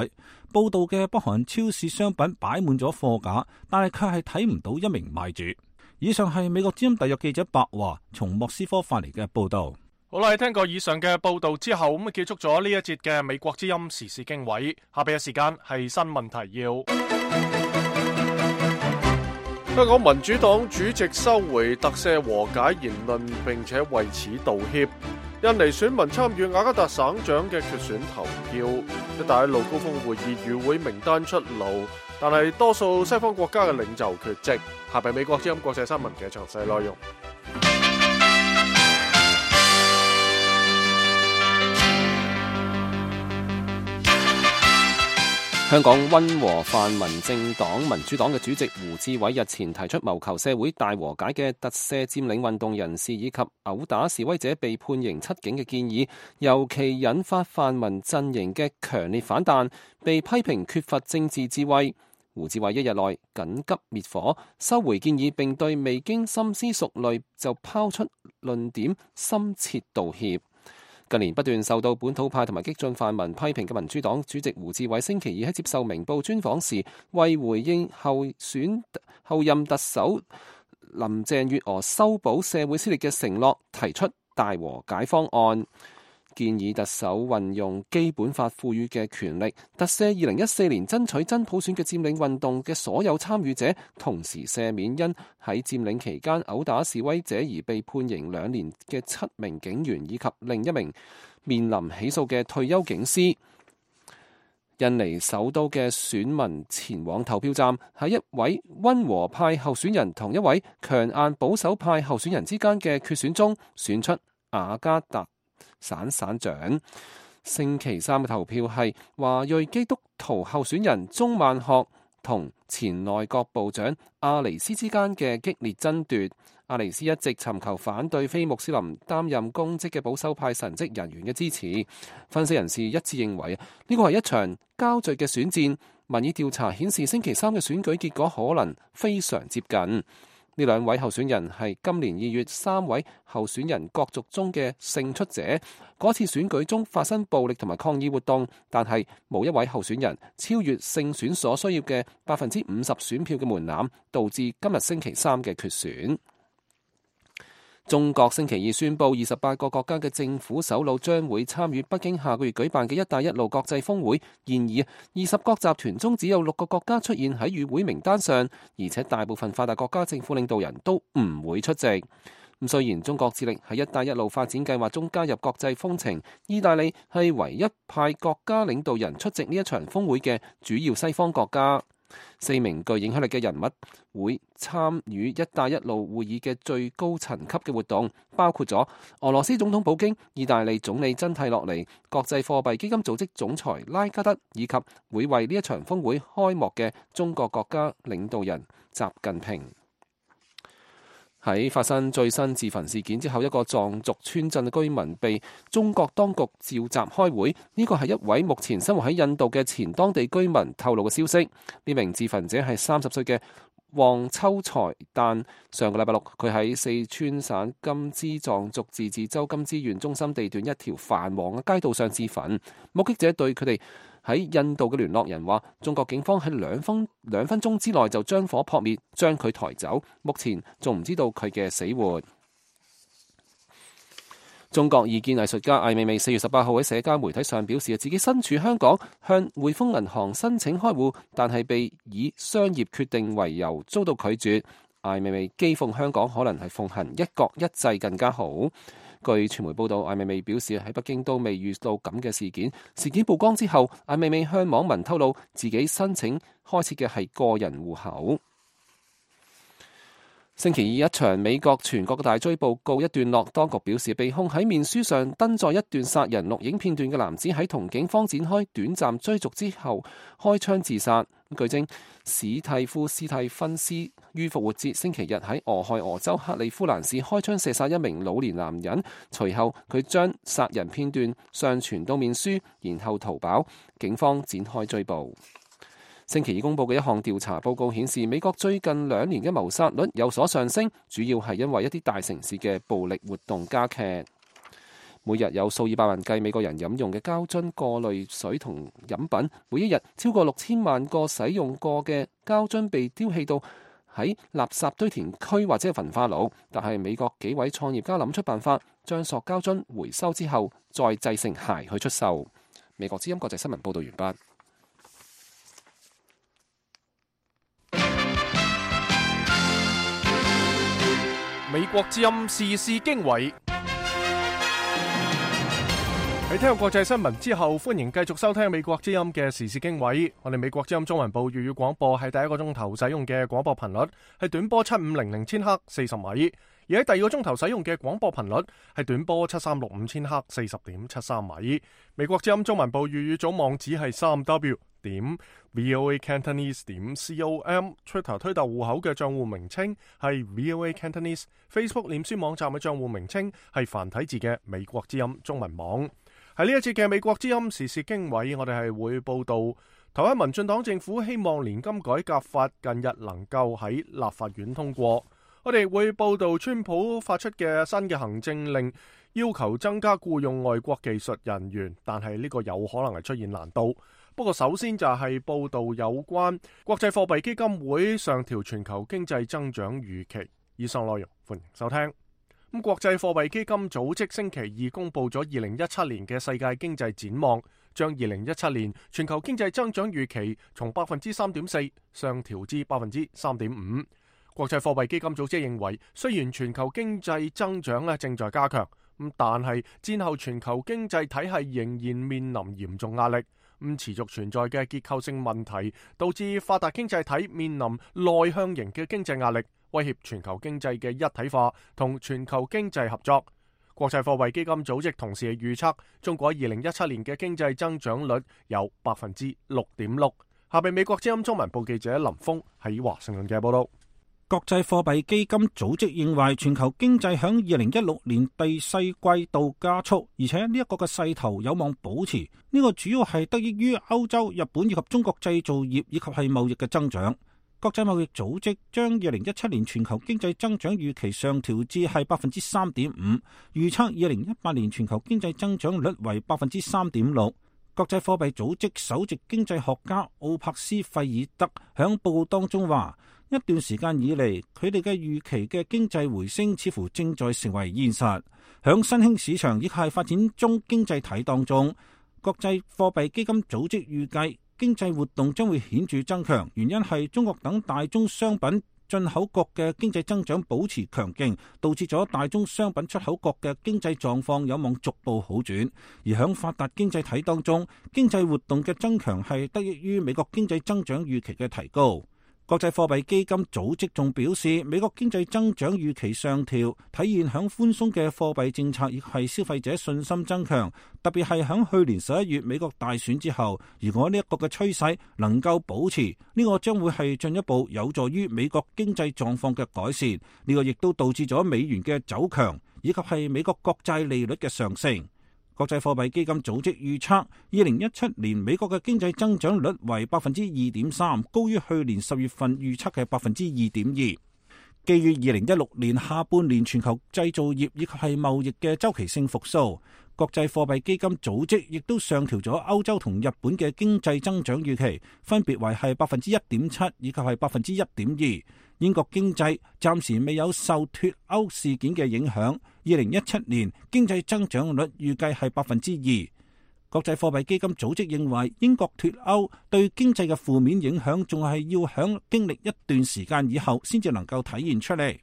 報道嘅北韓超市商品擺滿咗貨架，但係卻係睇唔到一名賣主。以上係美國之音特約記者白華從莫斯科發嚟嘅報道。好啦，聽過以上嘅報道之後，咁結束咗呢一節嘅美國之音時事經緯。下邊嘅時間係新聞提要。香港民主黨主席收回特赦和解言論，並且為此道歉。印尼選民參與雅加達省長嘅決選投票。一帶一路高峰會議與會名單出爐，但係多數西方國家嘅領袖缺席。下邊美國之音國際新聞嘅詳細內容。香港溫和泛民政黨民主黨嘅主席胡志偉日前提出謀求社會大和解嘅特赦佔領運動人士以及毆打示威者被判刑7警嘅建議，尤其引發泛民陣營嘅強烈反彈，被批評缺乏政治智慧。胡志偉一日內緊急滅火，收回建議，並對未經深思熟慮就拋出論點深切道歉。近年不斷受到本土派同埋激進泛民批評嘅民主黨主席胡志偉星期二喺接受明報專訪時，為回應後任特首林鄭月娥修補社會撕裂嘅承諾，提出大和解方案，建議特首運用基本法賦予嘅權力，特赦2014年爭取真普選嘅佔領運動嘅所有參與者，同時赦免因喺佔領期間毆打示威者而被判刑2年嘅7名警員以及另一名面臨起訴嘅退休警司。印尼首都嘅選民前往投票站，喺一位溫和派候選人同一位強硬保守派候選人之間嘅決選中，選出雅加達省長。星期三嘅投票係華裔基督徒候選人鍾萬學同前內閣部長阿尼斯之間嘅激烈爭奪。阿尼斯一直尋求反對非穆斯林擔任公職嘅保守派神職人員嘅支持。分析人士一致認為呢個係一場膠著嘅選戰。民意調查顯示星期三嘅選舉結果可能非常接近。呢兩位候選人係今年2月3位候選人角逐中嘅勝出者。嗰次選舉中發生暴力同埋抗議活動，但係冇一位候選人超越勝選所需要嘅50%選票嘅門檻，導致今日星期三嘅決選。中國星期二宣布28個國家嘅政府首腦將會參與北京下個月舉辦嘅一帶一路國際峰會。然而20國集團中只有6個國家出現喺與會名單上，而且大部分發達國家政府領導人都唔會出席。雖然中國致力喺一帶一路發展計劃中加入國際風情，意大利係唯一派國家領導人出席呢一場峰會嘅主要西方國家。4名具影響力嘅人物會參與一帶一路會議嘅最高層級嘅活動，包括咗俄羅斯總統普京、意大利總理真蒂洛尼、國際貨幣基金組織總裁拉加德，以及會為呢一場峰會開幕嘅中國國家領導人習近平。喺發生最新自焚事件之後，一個藏族村鎮嘅居民被中國當局召集開會。呢個係一位目前生活喺印度嘅前當地居民透露嘅消息。呢名自焚者係30歲嘅旺秋才旦。上個禮拜六，佢喺四川省甘孜藏族自治州甘孜縣中心地段一條繁忙嘅街道上自焚。目擊者對佢哋喺印度嘅聯絡人話，中國警方喺兩分鐘之內就將火撲滅，將佢抬走。目前仲唔知道佢嘅死活。中國異見藝術家艾未未4月18號喺社交媒體上表示，自己身處香港，向匯豐銀行申請開戶，但係被以商業決定為由遭到拒絕。艾未未譏諷香港可能係奉行一國一制更加好。據傳媒報道，艾未未表示喺北京都未遇到咁嘅事件。事件曝光之後，艾未未向網民透露自己申請開設嘅係個人戶口。星期二一場美國全國嘅大追捕告一段落，當局表示被控喺面書上登載一段殺人錄影片段嘅男子喺同警方展開短暫追逐之後開槍自殺。據證，史蒂夫斯蒂芬斯於復活節星期日喺俄亥俄州克利夫蘭市開槍射殺一名老年男人，隨後佢將殺人片段上傳到面書，然後逃跑。警方展開追捕。星期二公佈嘅一項調查報告顯示，美國最近2年嘅謀殺率有所上升，主要係因為一啲大城市嘅暴力活動加劇。每日有數以百萬計美國人飲用嘅膠樽過濾水同飲品，每一日超過6000萬個使用過嘅膠樽被丟棄到喺垃圾堆填區或者焚化爐。但係美國幾位創業家諗出辦法，將塑膠樽回收之後再製成鞋去出售。美國之音國際新聞報道完畢。美國之音時事經緯。喺聽過國際新聞之後，歡迎繼續收聽美國之音嘅時事經緯。我哋美國之音中文部粵語廣播係第一個鐘頭使用嘅廣播頻率係短波7500千赫40米，而喺第二個鐘頭使用嘅廣播頻率係短波7365千赫40.73米。美國之音中文部粵語組網址係3w.voacantonese.com，Twitter 推特戶口嘅賬戶名稱係 VOA Cantonese，Facebook 臉書網站嘅賬戶名稱係繁體字嘅美國之音中文網。喺呢一節嘅美國之音時事經緯，我哋係會報道台灣民進黨政府希望年金改革法近日能夠喺立法院通過。我哋會報道川普發出嘅新嘅行政令，要求增加僱用外國技術人員，但係呢個有可能係出現難度。不過首先就係報道有關國際貨幣基金會上調全球經濟增長預期。以上內容歡迎收聽。咁國際貨幣基金組織星期二公布咗2017年嘅世界經濟展望，將2017年全球經濟增長預期從 3.4% 上調至 3.5%。國際貨幣基金組織認為，雖然全球經濟增長正在加強，但係戰後全球經濟體系仍然面臨嚴重壓力。持續存在嘅結構性問題，導致發達經濟體面臨內向型嘅經濟壓力，威脅全球經濟嘅一體化同全球經濟合作。國際貨幣基金組織同時係預測，中國2017年嘅經濟增長率有 6.6%。下邊美國之音中文部記者林峰喺華盛頓嘅報道。國際貨幣基金組織認為，全球經濟響2016年第四季度加速，而且呢一個嘅勢頭有望保持。呢個主要係得益於歐洲、日本以及中國製造業以及係貿易嘅增長。國際貿易組織將2017年全球經濟增長預期上調至係 3.5%， 預測2018年全球經濟增長率為 3.6%。國際貨幣組織首席經濟學家奧柏斯費爾德響報告當中話，一段時間以嚟，佢哋嘅預期嘅經濟回升似乎正在成為現實。響新興市場亦係發展中經濟體當中，國際貨幣基金組織預計經濟活動將會顯著增強，原因係中國等大宗商品進口國嘅經濟增長保持強勁，導致咗大宗商品出口國嘅經濟狀況有望逐步好轉。而響發達經濟體當中，經濟活動嘅增強係得益於美國經濟增長預期嘅提高。國際貨幣基金組織仲表示，美國經濟增長預期上調，體現響寬鬆嘅貨幣政策亦係消費者信心增強，特別係響去年11月美國大選之後，如果呢一個嘅趨勢能夠保持，呢個將會係進一步有助於美國經濟狀況嘅改善。呢個亦都導致咗美元嘅走強，以及係美國國債利率嘅上升。國際貨幣基金組織預測，2017年美國嘅經濟增長率為 2.3%， 高於去年10月份預測嘅 2.2%。基於2016年下半年全球製造業以及係貿易嘅周期性復甦，國際貨幣基金組織亦都上調咗歐洲同日本嘅經濟增長預期，分別為係 1.7% 以及係 1.2%。英國經濟暫時未有受脫歐事件嘅影響，2017年經濟增長率預計係 2%。國際貨幣基金組織認為，英國脫歐對經濟嘅負面影響仲係要響經歷一段時間以後先至能夠體現出嚟。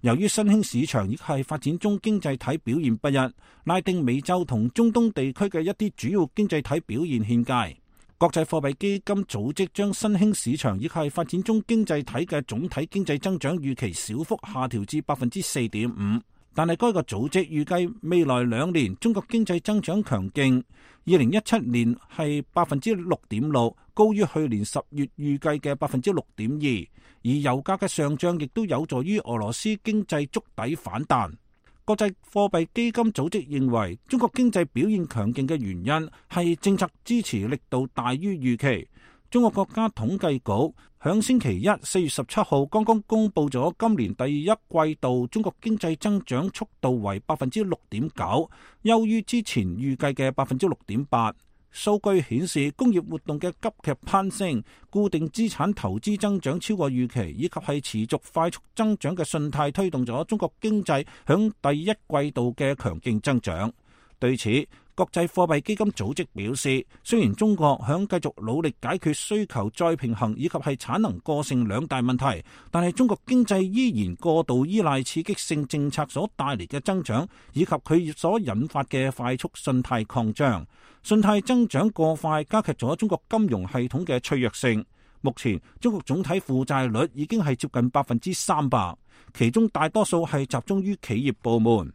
由於新興市場亦係發展中經濟體表現不一，拉丁美洲同中東地區嘅一啲主要經濟體表現欠佳。國際貨幣基金組織將新興市場亦係發展中經濟體嘅總體經濟增長預期小幅下調至 4.5%。但係該個組織預計未來2年中國經濟增長強勁，2017年係6.6%，高於去年10月預計嘅6.2%。而油價嘅上漲亦都有助於俄羅斯經濟築底反彈。國際貨幣基金組織認為，中國經濟表現強勁嘅原因係政策支持力度大於預期。中國國家統計局響星期一4月17號剛剛公布咗今年第一季度中國經濟增長速度為6.9%，優於之前預計嘅6.8%。數據顯示，工業活動嘅急劇攀升、固定資產投資增長超過預期，以及係持續快速增長嘅信貸，推動咗中國經濟響第一季度嘅強勁增長。對此，國際貨幣基金組織表示，雖然中國響繼續努力解決需求再平衡以及係產能過剩2大問題，但係中國經濟依然過度依賴刺激性政策所帶嚟嘅增長，以及佢所引發嘅快速信貸擴張。信貸增長過快加劇咗中國金融系統嘅脆弱性。目前中國總體負債率已經係接近300%，其中大多數係集中於企業部門。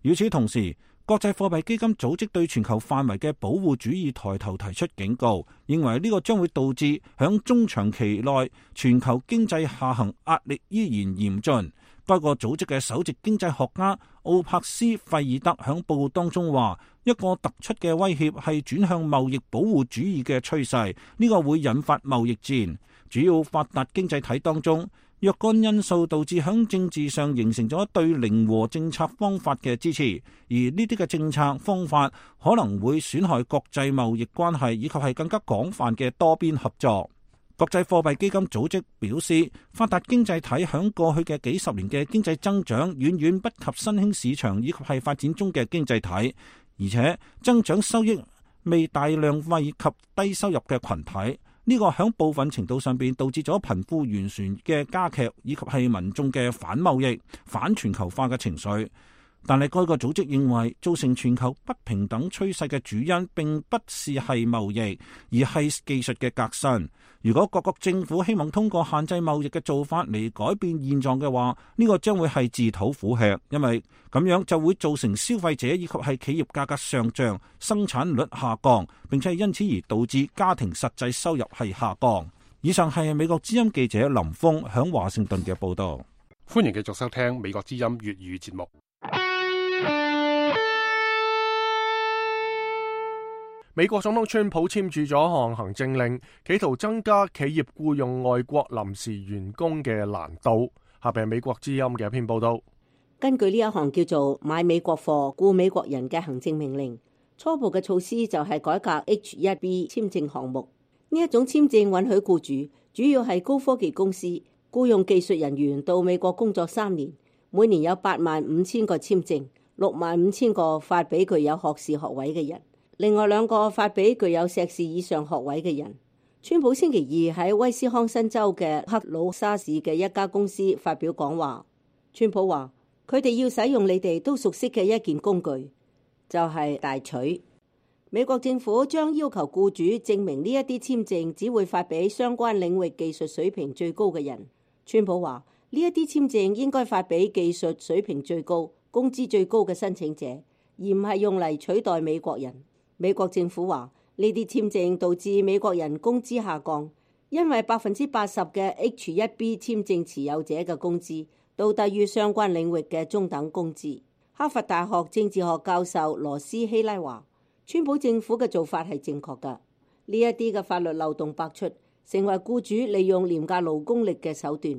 與此同時，國際貨幣基金組織對全球範圍嘅保護主義抬頭提出警告，認為呢個將會導致響中長期內全球經濟下行壓力依然嚴峻。該個組織嘅首席經濟學家奧柏斯費爾德響報告當中話，一個突出嘅威脅係轉向貿易保護主義嘅趨勢，呢個會引發貿易戰。主要發達經濟體當中，若干因素導致響政治上形成咗對零和政策方法嘅支持，而呢啲嘅政策方法可能會損害國際貿易關係，以及係更加廣泛嘅多邊合作。國際貨幣基金組織表示，發達經濟體響過去嘅幾十年嘅經濟增長遠遠不及新興市場以及係發展中嘅經濟體，而且增長收益未大量惠及低收入嘅群體。呢個響部分程度上邊導致咗貧富懸殊嘅加劇，以及係民眾嘅反貿易、反全球化嘅情緒。但係該個組織認為，造成全球不平等趨勢嘅主因並不是係貿易，而係技術嘅革新。如果各國政府希望通過限制貿易嘅做法嚟改變現狀嘅話，呢個將會係自討苦吃，因為咁樣就會造成消費者以及係企業價格上漲、生產率下降，並且因此而導致家庭實際收入係下降。以上係美國之音記者林峰響華盛頓嘅報道。歡迎繼續收聽美國之音粵語節目。美國總統川普簽署咗項行政令，企圖增加企業僱用外國臨時員工嘅難度。下邊係美國之音嘅一篇報道。根據呢一項叫做買美國貨僱美國人嘅行政命令，初步嘅措施就係改革 H-1B 簽證項目。呢一種簽證允許僱主，主要係高科技公司，僱用技術人員到美國工作3年，每年有85,000個簽證，65,000個發俾具有學士學位嘅人，另外2個發俾具有碩士以上學位嘅人。川普星期二喺威斯康辛州嘅克魯沙市嘅一家公司發表講話。川普話：佢哋要使用你哋都熟悉嘅一件工具，就係大錘。美國政府將要求僱主證明呢一啲簽證只會發俾相關領域技術水平最高嘅人。川普話：呢一啲簽證應該發俾技術水平最高、工資最高嘅申請者，而唔係用嚟取代美國人。美國政府話，呢啲簽證導致美國人工資下降，因為80%嘅 H-1B 簽證持有者嘅工資都低於相關領域嘅中等工資。哈佛大學政治學教授羅斯希拉話，川普政府嘅做法係正確㗎。呢一啲嘅法律漏洞百出，成為僱主利用廉價勞工力嘅手段，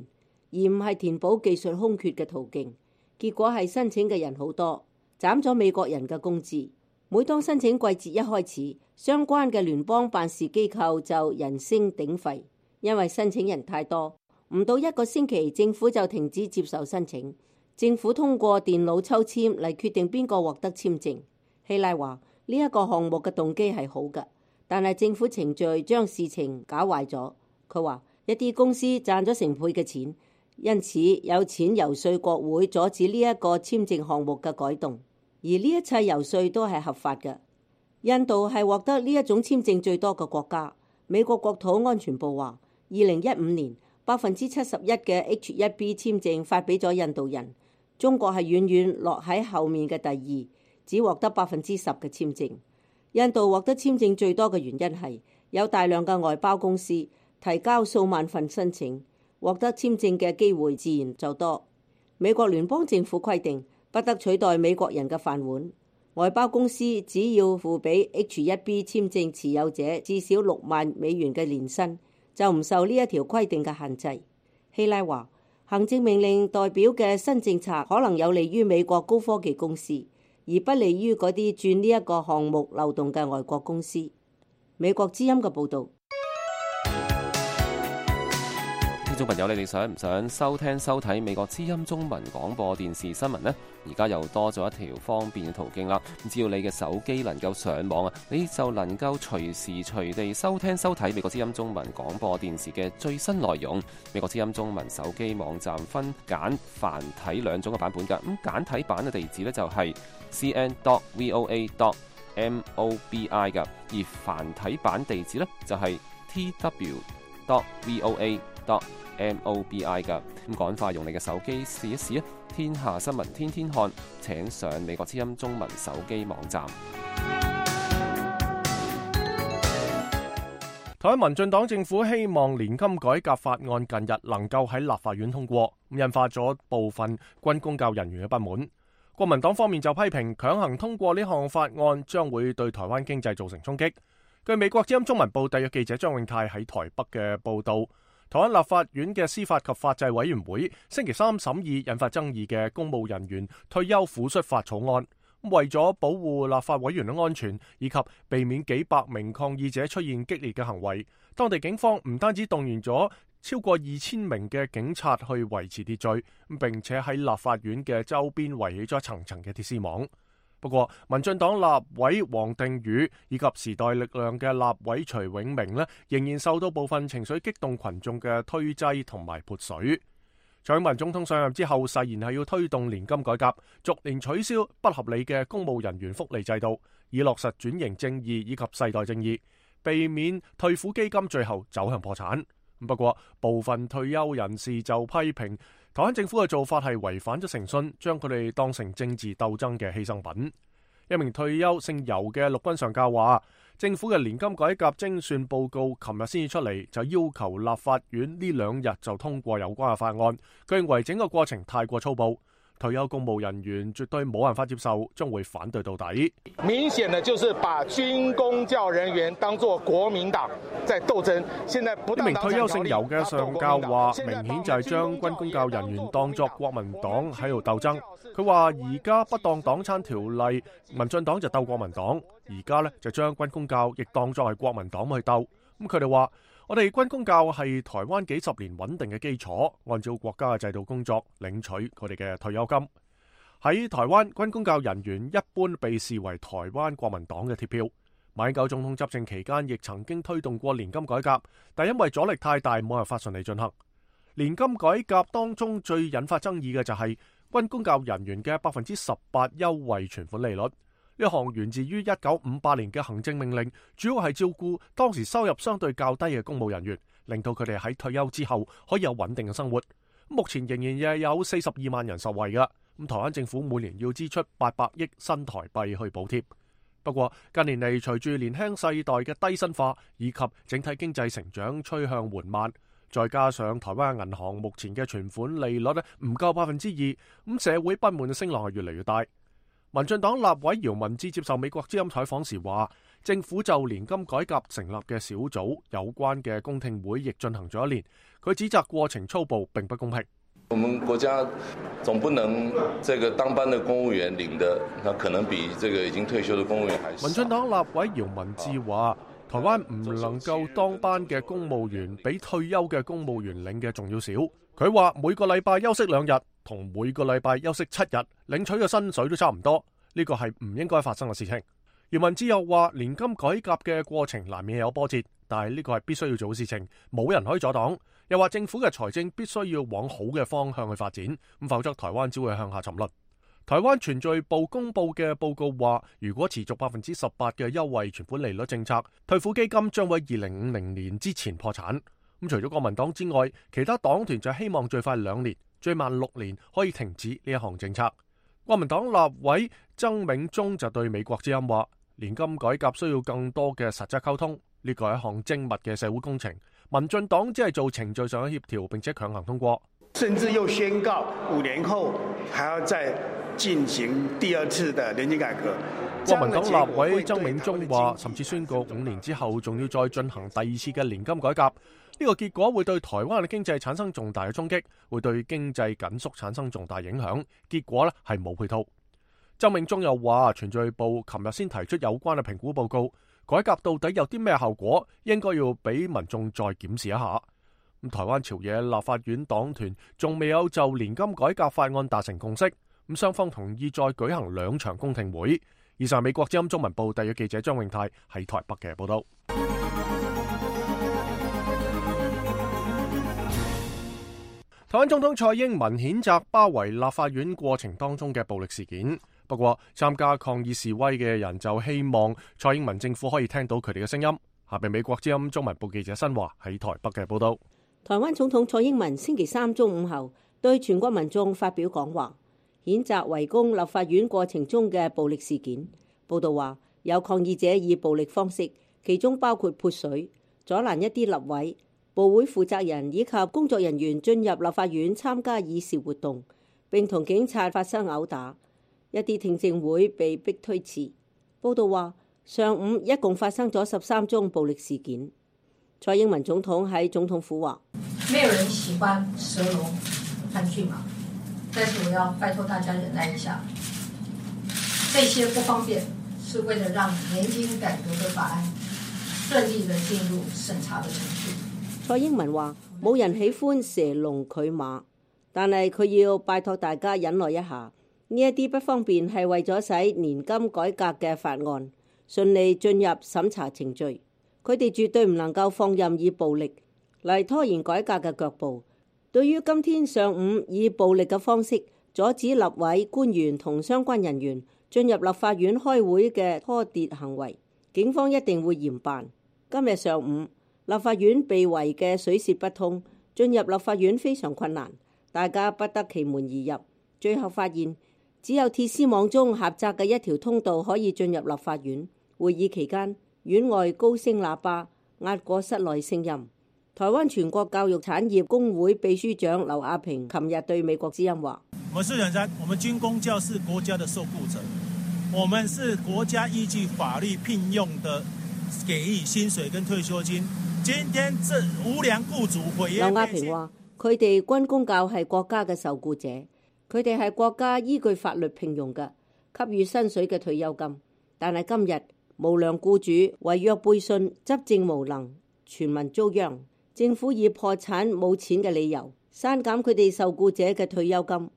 而唔係填補技術空缺嘅途徑。結果係申請嘅人好多，斬咗美國人嘅工資。每當申請季節一開始，相關嘅聯邦辦事機構就人聲鼎沸，因為申請人太多，唔到1個星期，政府就停止接受申請。政府通過電腦抽籤嚟決定邊個獲得簽證。希拉話：呢一個項目嘅動機係好嘅，但係政府程序將事情搞壞咗。佢話一啲公司賺咗成倍嘅錢，因此有錢遊說國會阻止呢一個簽證項目嘅改動。而呢一切遊說都係合法嘅。印度係獲得呢一種簽證最多嘅國家。美國國土安全部話，2015年71%嘅 H-1B 簽證發俾咗印度人，中國係遠遠落喺後面嘅第二，只獲得10%嘅簽證。印度獲得簽證最多嘅原因係有大量嘅外包公司提交數萬份申請，獲得簽證嘅機會自然就多。美國聯邦政府規定不得取代美國人嘅飯碗，外包公司只要付俾 H1B 簽證持有者至少6萬美元嘅年薪，就唔受呢一條規定嘅限制。希拉話，行政命令代表嘅新政策可能有利於美國高科技公司，而不利於嗰啲鑽呢一個項目漏洞嘅外國公司。美國之音嘅報導。聽眾朋友，你哋想唔想收聽收睇美國之音中文廣播電視新聞呢？而家又多咗一條方便嘅途徑啦。只要你嘅手機能夠上網啊，你就能夠隨時隨地收聽收睇美國之音中文廣播電視嘅最新內容。美國之音中文手機網站分簡繁體兩種嘅版本㗎。咁簡體版嘅地址呢，就係 cn.voa.mobi 㗎，而繁體版地址呢，就係 tw.voa.mobi 㗎。咁趕快用你嘅手機試一試啊！天下新聞天天看，請上美國之音中文手機網站。台灣民進黨政府希望年金改革法案近日能夠喺立法院通過，引發咗部分軍公教人員嘅不滿。國民黨方面就批評強行通過呢項法案將會對台灣經濟造成衝擊。據美國之音中文報特約記者張永泰喺台北嘅報道，台灣立法院嘅司法及法制委員會星期三審議引發爭議嘅公務人員退休撫恤法草案，為咗保護立法委員嘅安全以及避免幾百名抗議者出現激烈嘅行為，當地警方唔單止動員咗超過2000名嘅警察去維持秩序，並且喺立法院嘅周邊圍起咗層層嘅鐵絲網。不過，民進黨立委王定宇以及時代力量嘅立委徐永明呢，仍然受到部分情緒激動群眾嘅推擠同埋潑水。蔡英文總統上任之後，誓言係要推動年金改革，逐年取消不合理嘅公務人員福利制度，以落實轉型正義以及世代正義，避免退撫基金最後走向破產。不過，部分退休人士就批評台灣政府嘅做法係違反咗誠信，將佢哋當成政治鬥爭嘅犧牲品。一名退休姓游嘅陸軍上校話，政府嘅年金改革精算報告琴日先至出嚟，就要求立法院呢2日就通過有關嘅法案。佢認為整個過程太過粗暴，退休公務人員絕對冇辦法接受，將會反對到底。明顯的就是把軍公教人員當作國民黨在鬥爭。現在不，一名退休姓游嘅上校話，明顯就係將軍公教人員當作國民黨喺度鬥爭。佢話而家不當黨餐條例，民進黨就鬥國民黨，而家呢就將軍公教亦當作係國民黨去鬥。咁佢哋話，我哋軍公教係台灣幾十年穩定嘅基礎，按照國家嘅制度工作，領取佢哋嘅退休金。喺台灣，軍公教人員一般被視為台灣國民黨嘅鐵票。馬英九總統執政期間亦曾經推動過年金改革，但因為阻力太大，冇辦法順利進行。年金改革當中最引發爭議嘅就係軍公教人員嘅18%優惠存款利率。呢項源自於1958年嘅行政命令，主要係照顧當時收入相對較低嘅公務人員，令到佢哋喺退休之後可以有穩定嘅生活。目前仍然有42萬人受惠㗎。咁台灣政府每年要支出800億新台幣去補貼。不過近年嚟，隨住年輕世代嘅低薪化以及整體經濟成長趨向緩慢，再加上台灣銀行目前嘅存款利率唔夠2%，咁社會不滿嘅聲浪係越嚟越大。民進黨立委姚文智接受美國之音採訪時話，政府就年金改革成立嘅小組有關嘅公聽會亦進行咗1年，佢指責過程粗暴並不公平。我們國家總不能這個當班的公務員領的，那可能比這個已經退休的公務員還少。民進黨立委姚文智話，台灣唔能夠當班嘅公務員比退休嘅公務員領嘅仲要少。佢話每個禮拜休息2日，同每個禮拜休息7日，領取嘅薪水都差唔多，呢個係唔應該發生嘅事情。姚文智又話，年金改革嘅過程難免有波折，但係呢個係必須要做嘅事情，冇人可以阻擋。又話政府嘅財政必須要往好嘅方向去發展，咁否則台灣只會向下沉淪。台灣存在部公佈嘅報告話，如果持續18%嘅優惠存款利率政策，退撫基金將會喺2050年之前破產。咁除咗國民黨之外，其他黨團就希望最快2年，最慢6年可以停止呢一項政策。國民黨立委曾銘宗就對美國之音話，年金改革需要更多嘅實質溝通，呢個係一項精密嘅社會工程。民進黨只係做程序上嘅協調，並且強行通過，甚至又宣告5年後還要再進行第2次的年金改革。國民黨立委曾銘宗話，甚至宣告5年之後仲要再進行第2次嘅年金改革。呢個結果會對台灣嘅經濟產生重大嘅衝擊，會對經濟緊縮產生重大影響。結果呢係冇配套。曾銘宗又話，銓敘部琴日先提出有關嘅評估報告，改革到底有啲咩效果，應該要俾民眾再檢視一下。台灣朝野立法院黨團仲未有就年金改革法案達成共識，雙方同意再舉行2場公聽會。以上美國之音中文部特約記者張永泰喺台北嘅報道。台灣總統蔡英文譴責包圍立法院過程當中嘅暴力事件，不過參加抗議示威嘅人就希望蔡英文政府可以聽到佢哋嘅聲音。下邊美國之音中文部記者新華喺台北嘅報道。台灣總統蔡英文星期3中午後對全國民眾發表講話，譴責圍攻立法院過程中嘅暴力事件。報道話，有抗議者以暴力方式，其中包括潑水、阻攔一啲立委、部會負責人以及工作人員進入立法院參加議事活動，並同警察發生毆打，一啲聽證會被逼推遲。報道話，上午一共發生咗13宗暴力事件。蔡英文總統喺總統府話：沒有人喜歡蛇龍和駿馬，但是我要拜託大家忍耐一下，這些不方便是為了讓年金改革的法案順利地進入審查的程序。蔡英文話：冇人喜歡蛇龍拒馬，但係佢要拜託大家忍耐一下。呢一啲不方便係為咗使年金改革嘅法案順利進入審查程序。佢哋絕對唔能夠放任以暴力嚟拖延改革嘅腳步。對於今天上午以暴力嘅方式阻止立委官員同相關人員進入立法院開會嘅拖牒行為，警方一定會嚴辦。今日上午立法院被圍嘅水泄不通，進入立法院非常困難，大家不得其門而入。最後發現只有鐵絲網中狹窄嘅一條通道可以進入立法院。會議期間，院外高聲喇叭壓過室內聲音。台灣全國教育產業工會秘書長劉亞平琴日對美國之音話：我們是人才，我們軍公教是國家的受雇者，我們是國家依據法律聘用的，給予薪水跟退休金。今天這無良雇主毀約。劉亞平話：佢哋軍公教係國家嘅受雇者，佢哋係國家依據法律聘用嘅，給予薪水嘅退休金。但係今日無良雇主違約背信，執政無能，全民遭殃。政府以破產冇錢嘅理由刪減佢哋受雇者嘅退休金。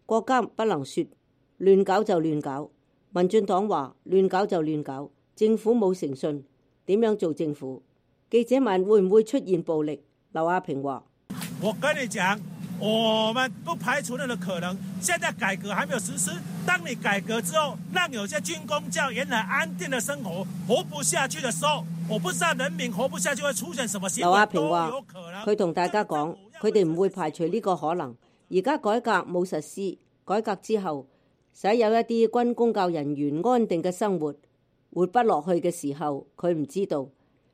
國家不能說亂搞就亂搞。民進黨話亂搞就亂搞，政府冇誠信，點樣做政府？記者問會唔會出現暴力，劉亞平話：我跟你講，我們不排除任何可能。現在改革還沒有實施，當你改革之後，讓有些軍公教原來安定的生活活不下去的時候，我不知道人民活不下去會出現什麼結果。劉亞平話：佢同大家講，佢哋唔會排除呢個可能。而家改革冇實施，改革之後使有一啲軍公教人員安定嘅生活活不落去嘅時候，佢唔知道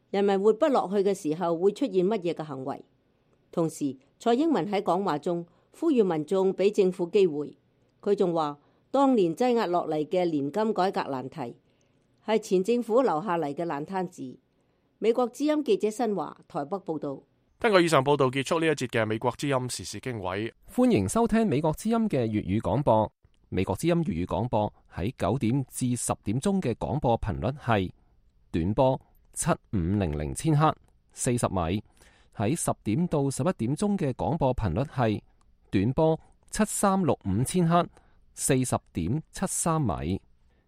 人民活不落去嘅時候會出現乜嘢嘅行為。同時，蔡英文喺講話中呼籲民眾俾政府機會。佢仲話，當年擠壓落嚟嘅年金改革難題係前政府留下嚟嘅爛攤子。美國之音記者新華台北報道。聽過以上報道，結束呢一節嘅美國之音時事經緯。歡迎收聽美國之音嘅粵語廣播。美國之音粵語廣播喺9點至10點鐘嘅廣播頻率係短波7500千赫40米，喺10點到11點鐘嘅廣播頻率係短波7365千赫40.73米。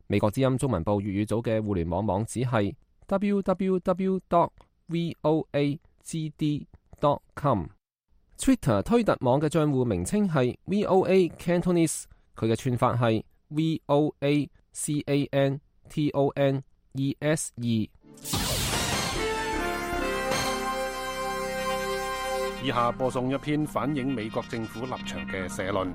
美國之音中文部粵語組嘅互聯網網址係 www.voagd.com。Twitter 推特網嘅賬戶名稱係 VOA Cantonese， 佢嘅串法係 VOA CANTONESE。以下播送一篇反映美國政府立場嘅社論。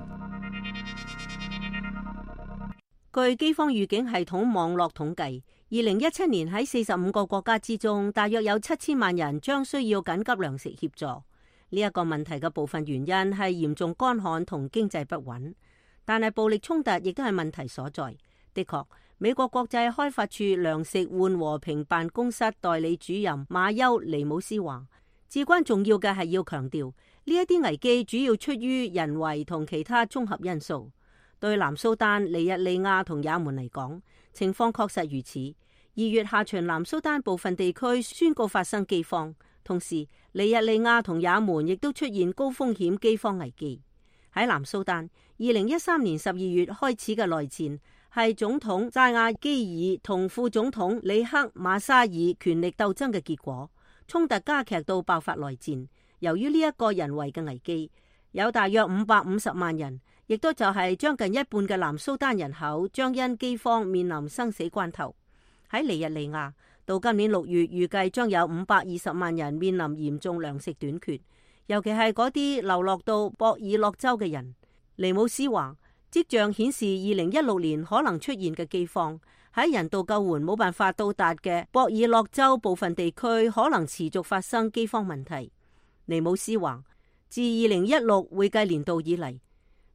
據饑荒預警系統網絡統計，2017年喺45個國家之中，大約有7000萬人將需要緊急糧食協助。呢一個問題嘅部分原因係嚴重乾旱同經濟不穩，但係暴力衝突亦都係問題所在。的確，美國國際開發處糧食換和平辦公室代理主任馬丘尼姆斯話，至關重要嘅係要強調呢一啲危機主要出於人為同其他綜合因素。對南蘇丹、尼日利亞同也門嚟講，情況確實如此。2月下旬，南蘇丹部分地區宣告發生饑荒，同時尼日利亞同也門亦都出現高風險饑荒危機。喺南蘇丹，2013年12月開始嘅內戰係總統扎亞基爾同副總統里克馬沙爾權力鬥爭嘅結果，衝突加劇到爆發內戰。由於呢一個人為嘅危機，有大約550萬人，亦都就係將近一半嘅南蘇丹人口將因饑荒面臨生死關頭。喺尼日利亞，到今年6月預計將有520萬人面臨嚴重糧食短缺，尤其係嗰啲流落到博爾諾州嘅人。尼姆斯話，跡象顯示2016年可能出現嘅饑荒喺人道救援冇辦法到達嘅博爾諾州部分地區可能持續發生饑荒問題。尼姆斯話，自2016會計年度以嚟，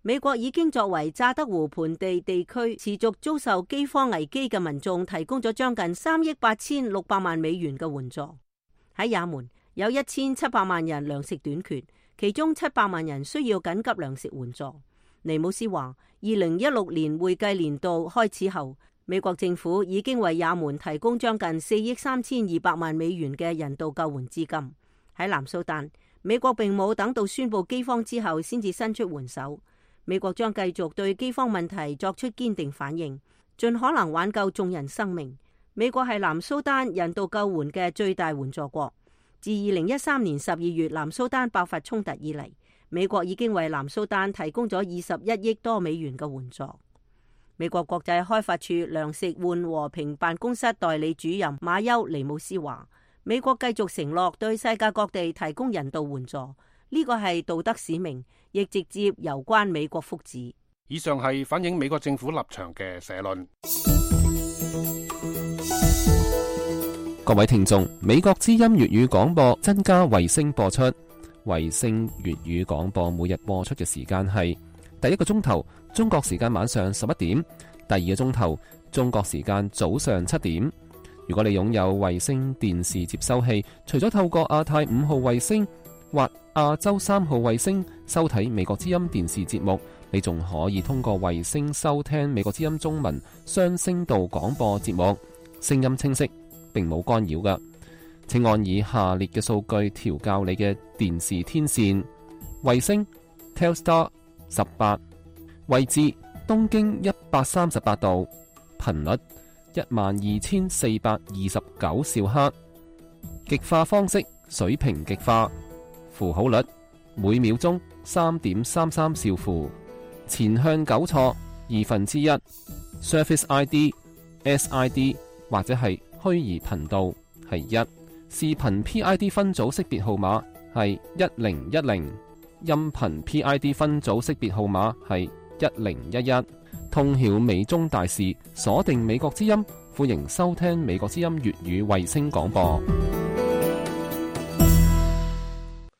美國已經作為乍得湖盆地地區持續遭受饑荒危機嘅民眾提供咗將近3億8600萬美元嘅援助。喺也門有1700萬人糧食短缺，其中700萬人需要緊急糧食援助。尼姆斯話，2016年會計年度開始後，美國政府已經為也門提供將近4億3200萬美元嘅人道救援資金。喺南蘇丹，美國並冇等到宣布饑荒之後先至伸出援手。美國將繼續對饑荒問題作出堅定反應，盡可能挽救眾人生命。美國係南蘇丹人道救援嘅最大援助國。自2013年12月南蘇丹爆發衝突以嚟，美國已經為南蘇丹提供咗21億多美元嘅援助。美國國際開發處糧食換和平辦公室代理主任馬丘尼姆斯話，美國繼續承諾對世界各地提供人道援助，呢個係道德使命，亦直接攸關美國福祉。以上係反映美國政府立場嘅社論。各位聽眾，美國之音粵語廣播增加衛星播出，衛星粵語廣播每日播出嘅時間係第一個鐘頭中國時間晚上11點，第二個鐘頭中國時間早上7點。如果你擁有衛星電視接收器，除咗透過亞太5號衛星或亞洲3號衛星收睇美國之音電視節目，你仲可以通過衛星收聽美國之音中文雙聲道廣播節目，聲音清晰，並冇干擾㗎。請按以下列嘅數據調校你嘅電視天線：衛星 Telstar 18，位置東經138度，頻率12429兆赫，極化方式水平極化，符號率每秒鐘3.33兆符，前向糾錯1/2， Service ID、SID 或者係虛擬頻道係1，視頻 PID 分組識別號碼係1010，音頻 PID 分組識別號碼係1011。通曉美中大事，鎖定美國之音，歡迎收聽美國之音粵語衛星廣播。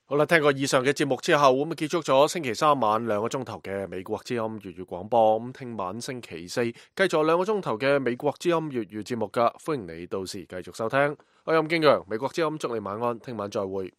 好啦，聽過以上嘅節目之後，咁結束咗星期三晚2個鐘頭嘅美國之音粵語廣播。咁聽晚星期四繼續2個鐘頭嘅美國之音粵語節目噶，歡迎你到時繼續收聽。我係任敬陽，美國之音祝你晚安，聽晚再會。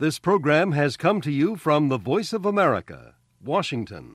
This program has come to you from the Voice of America, Washington.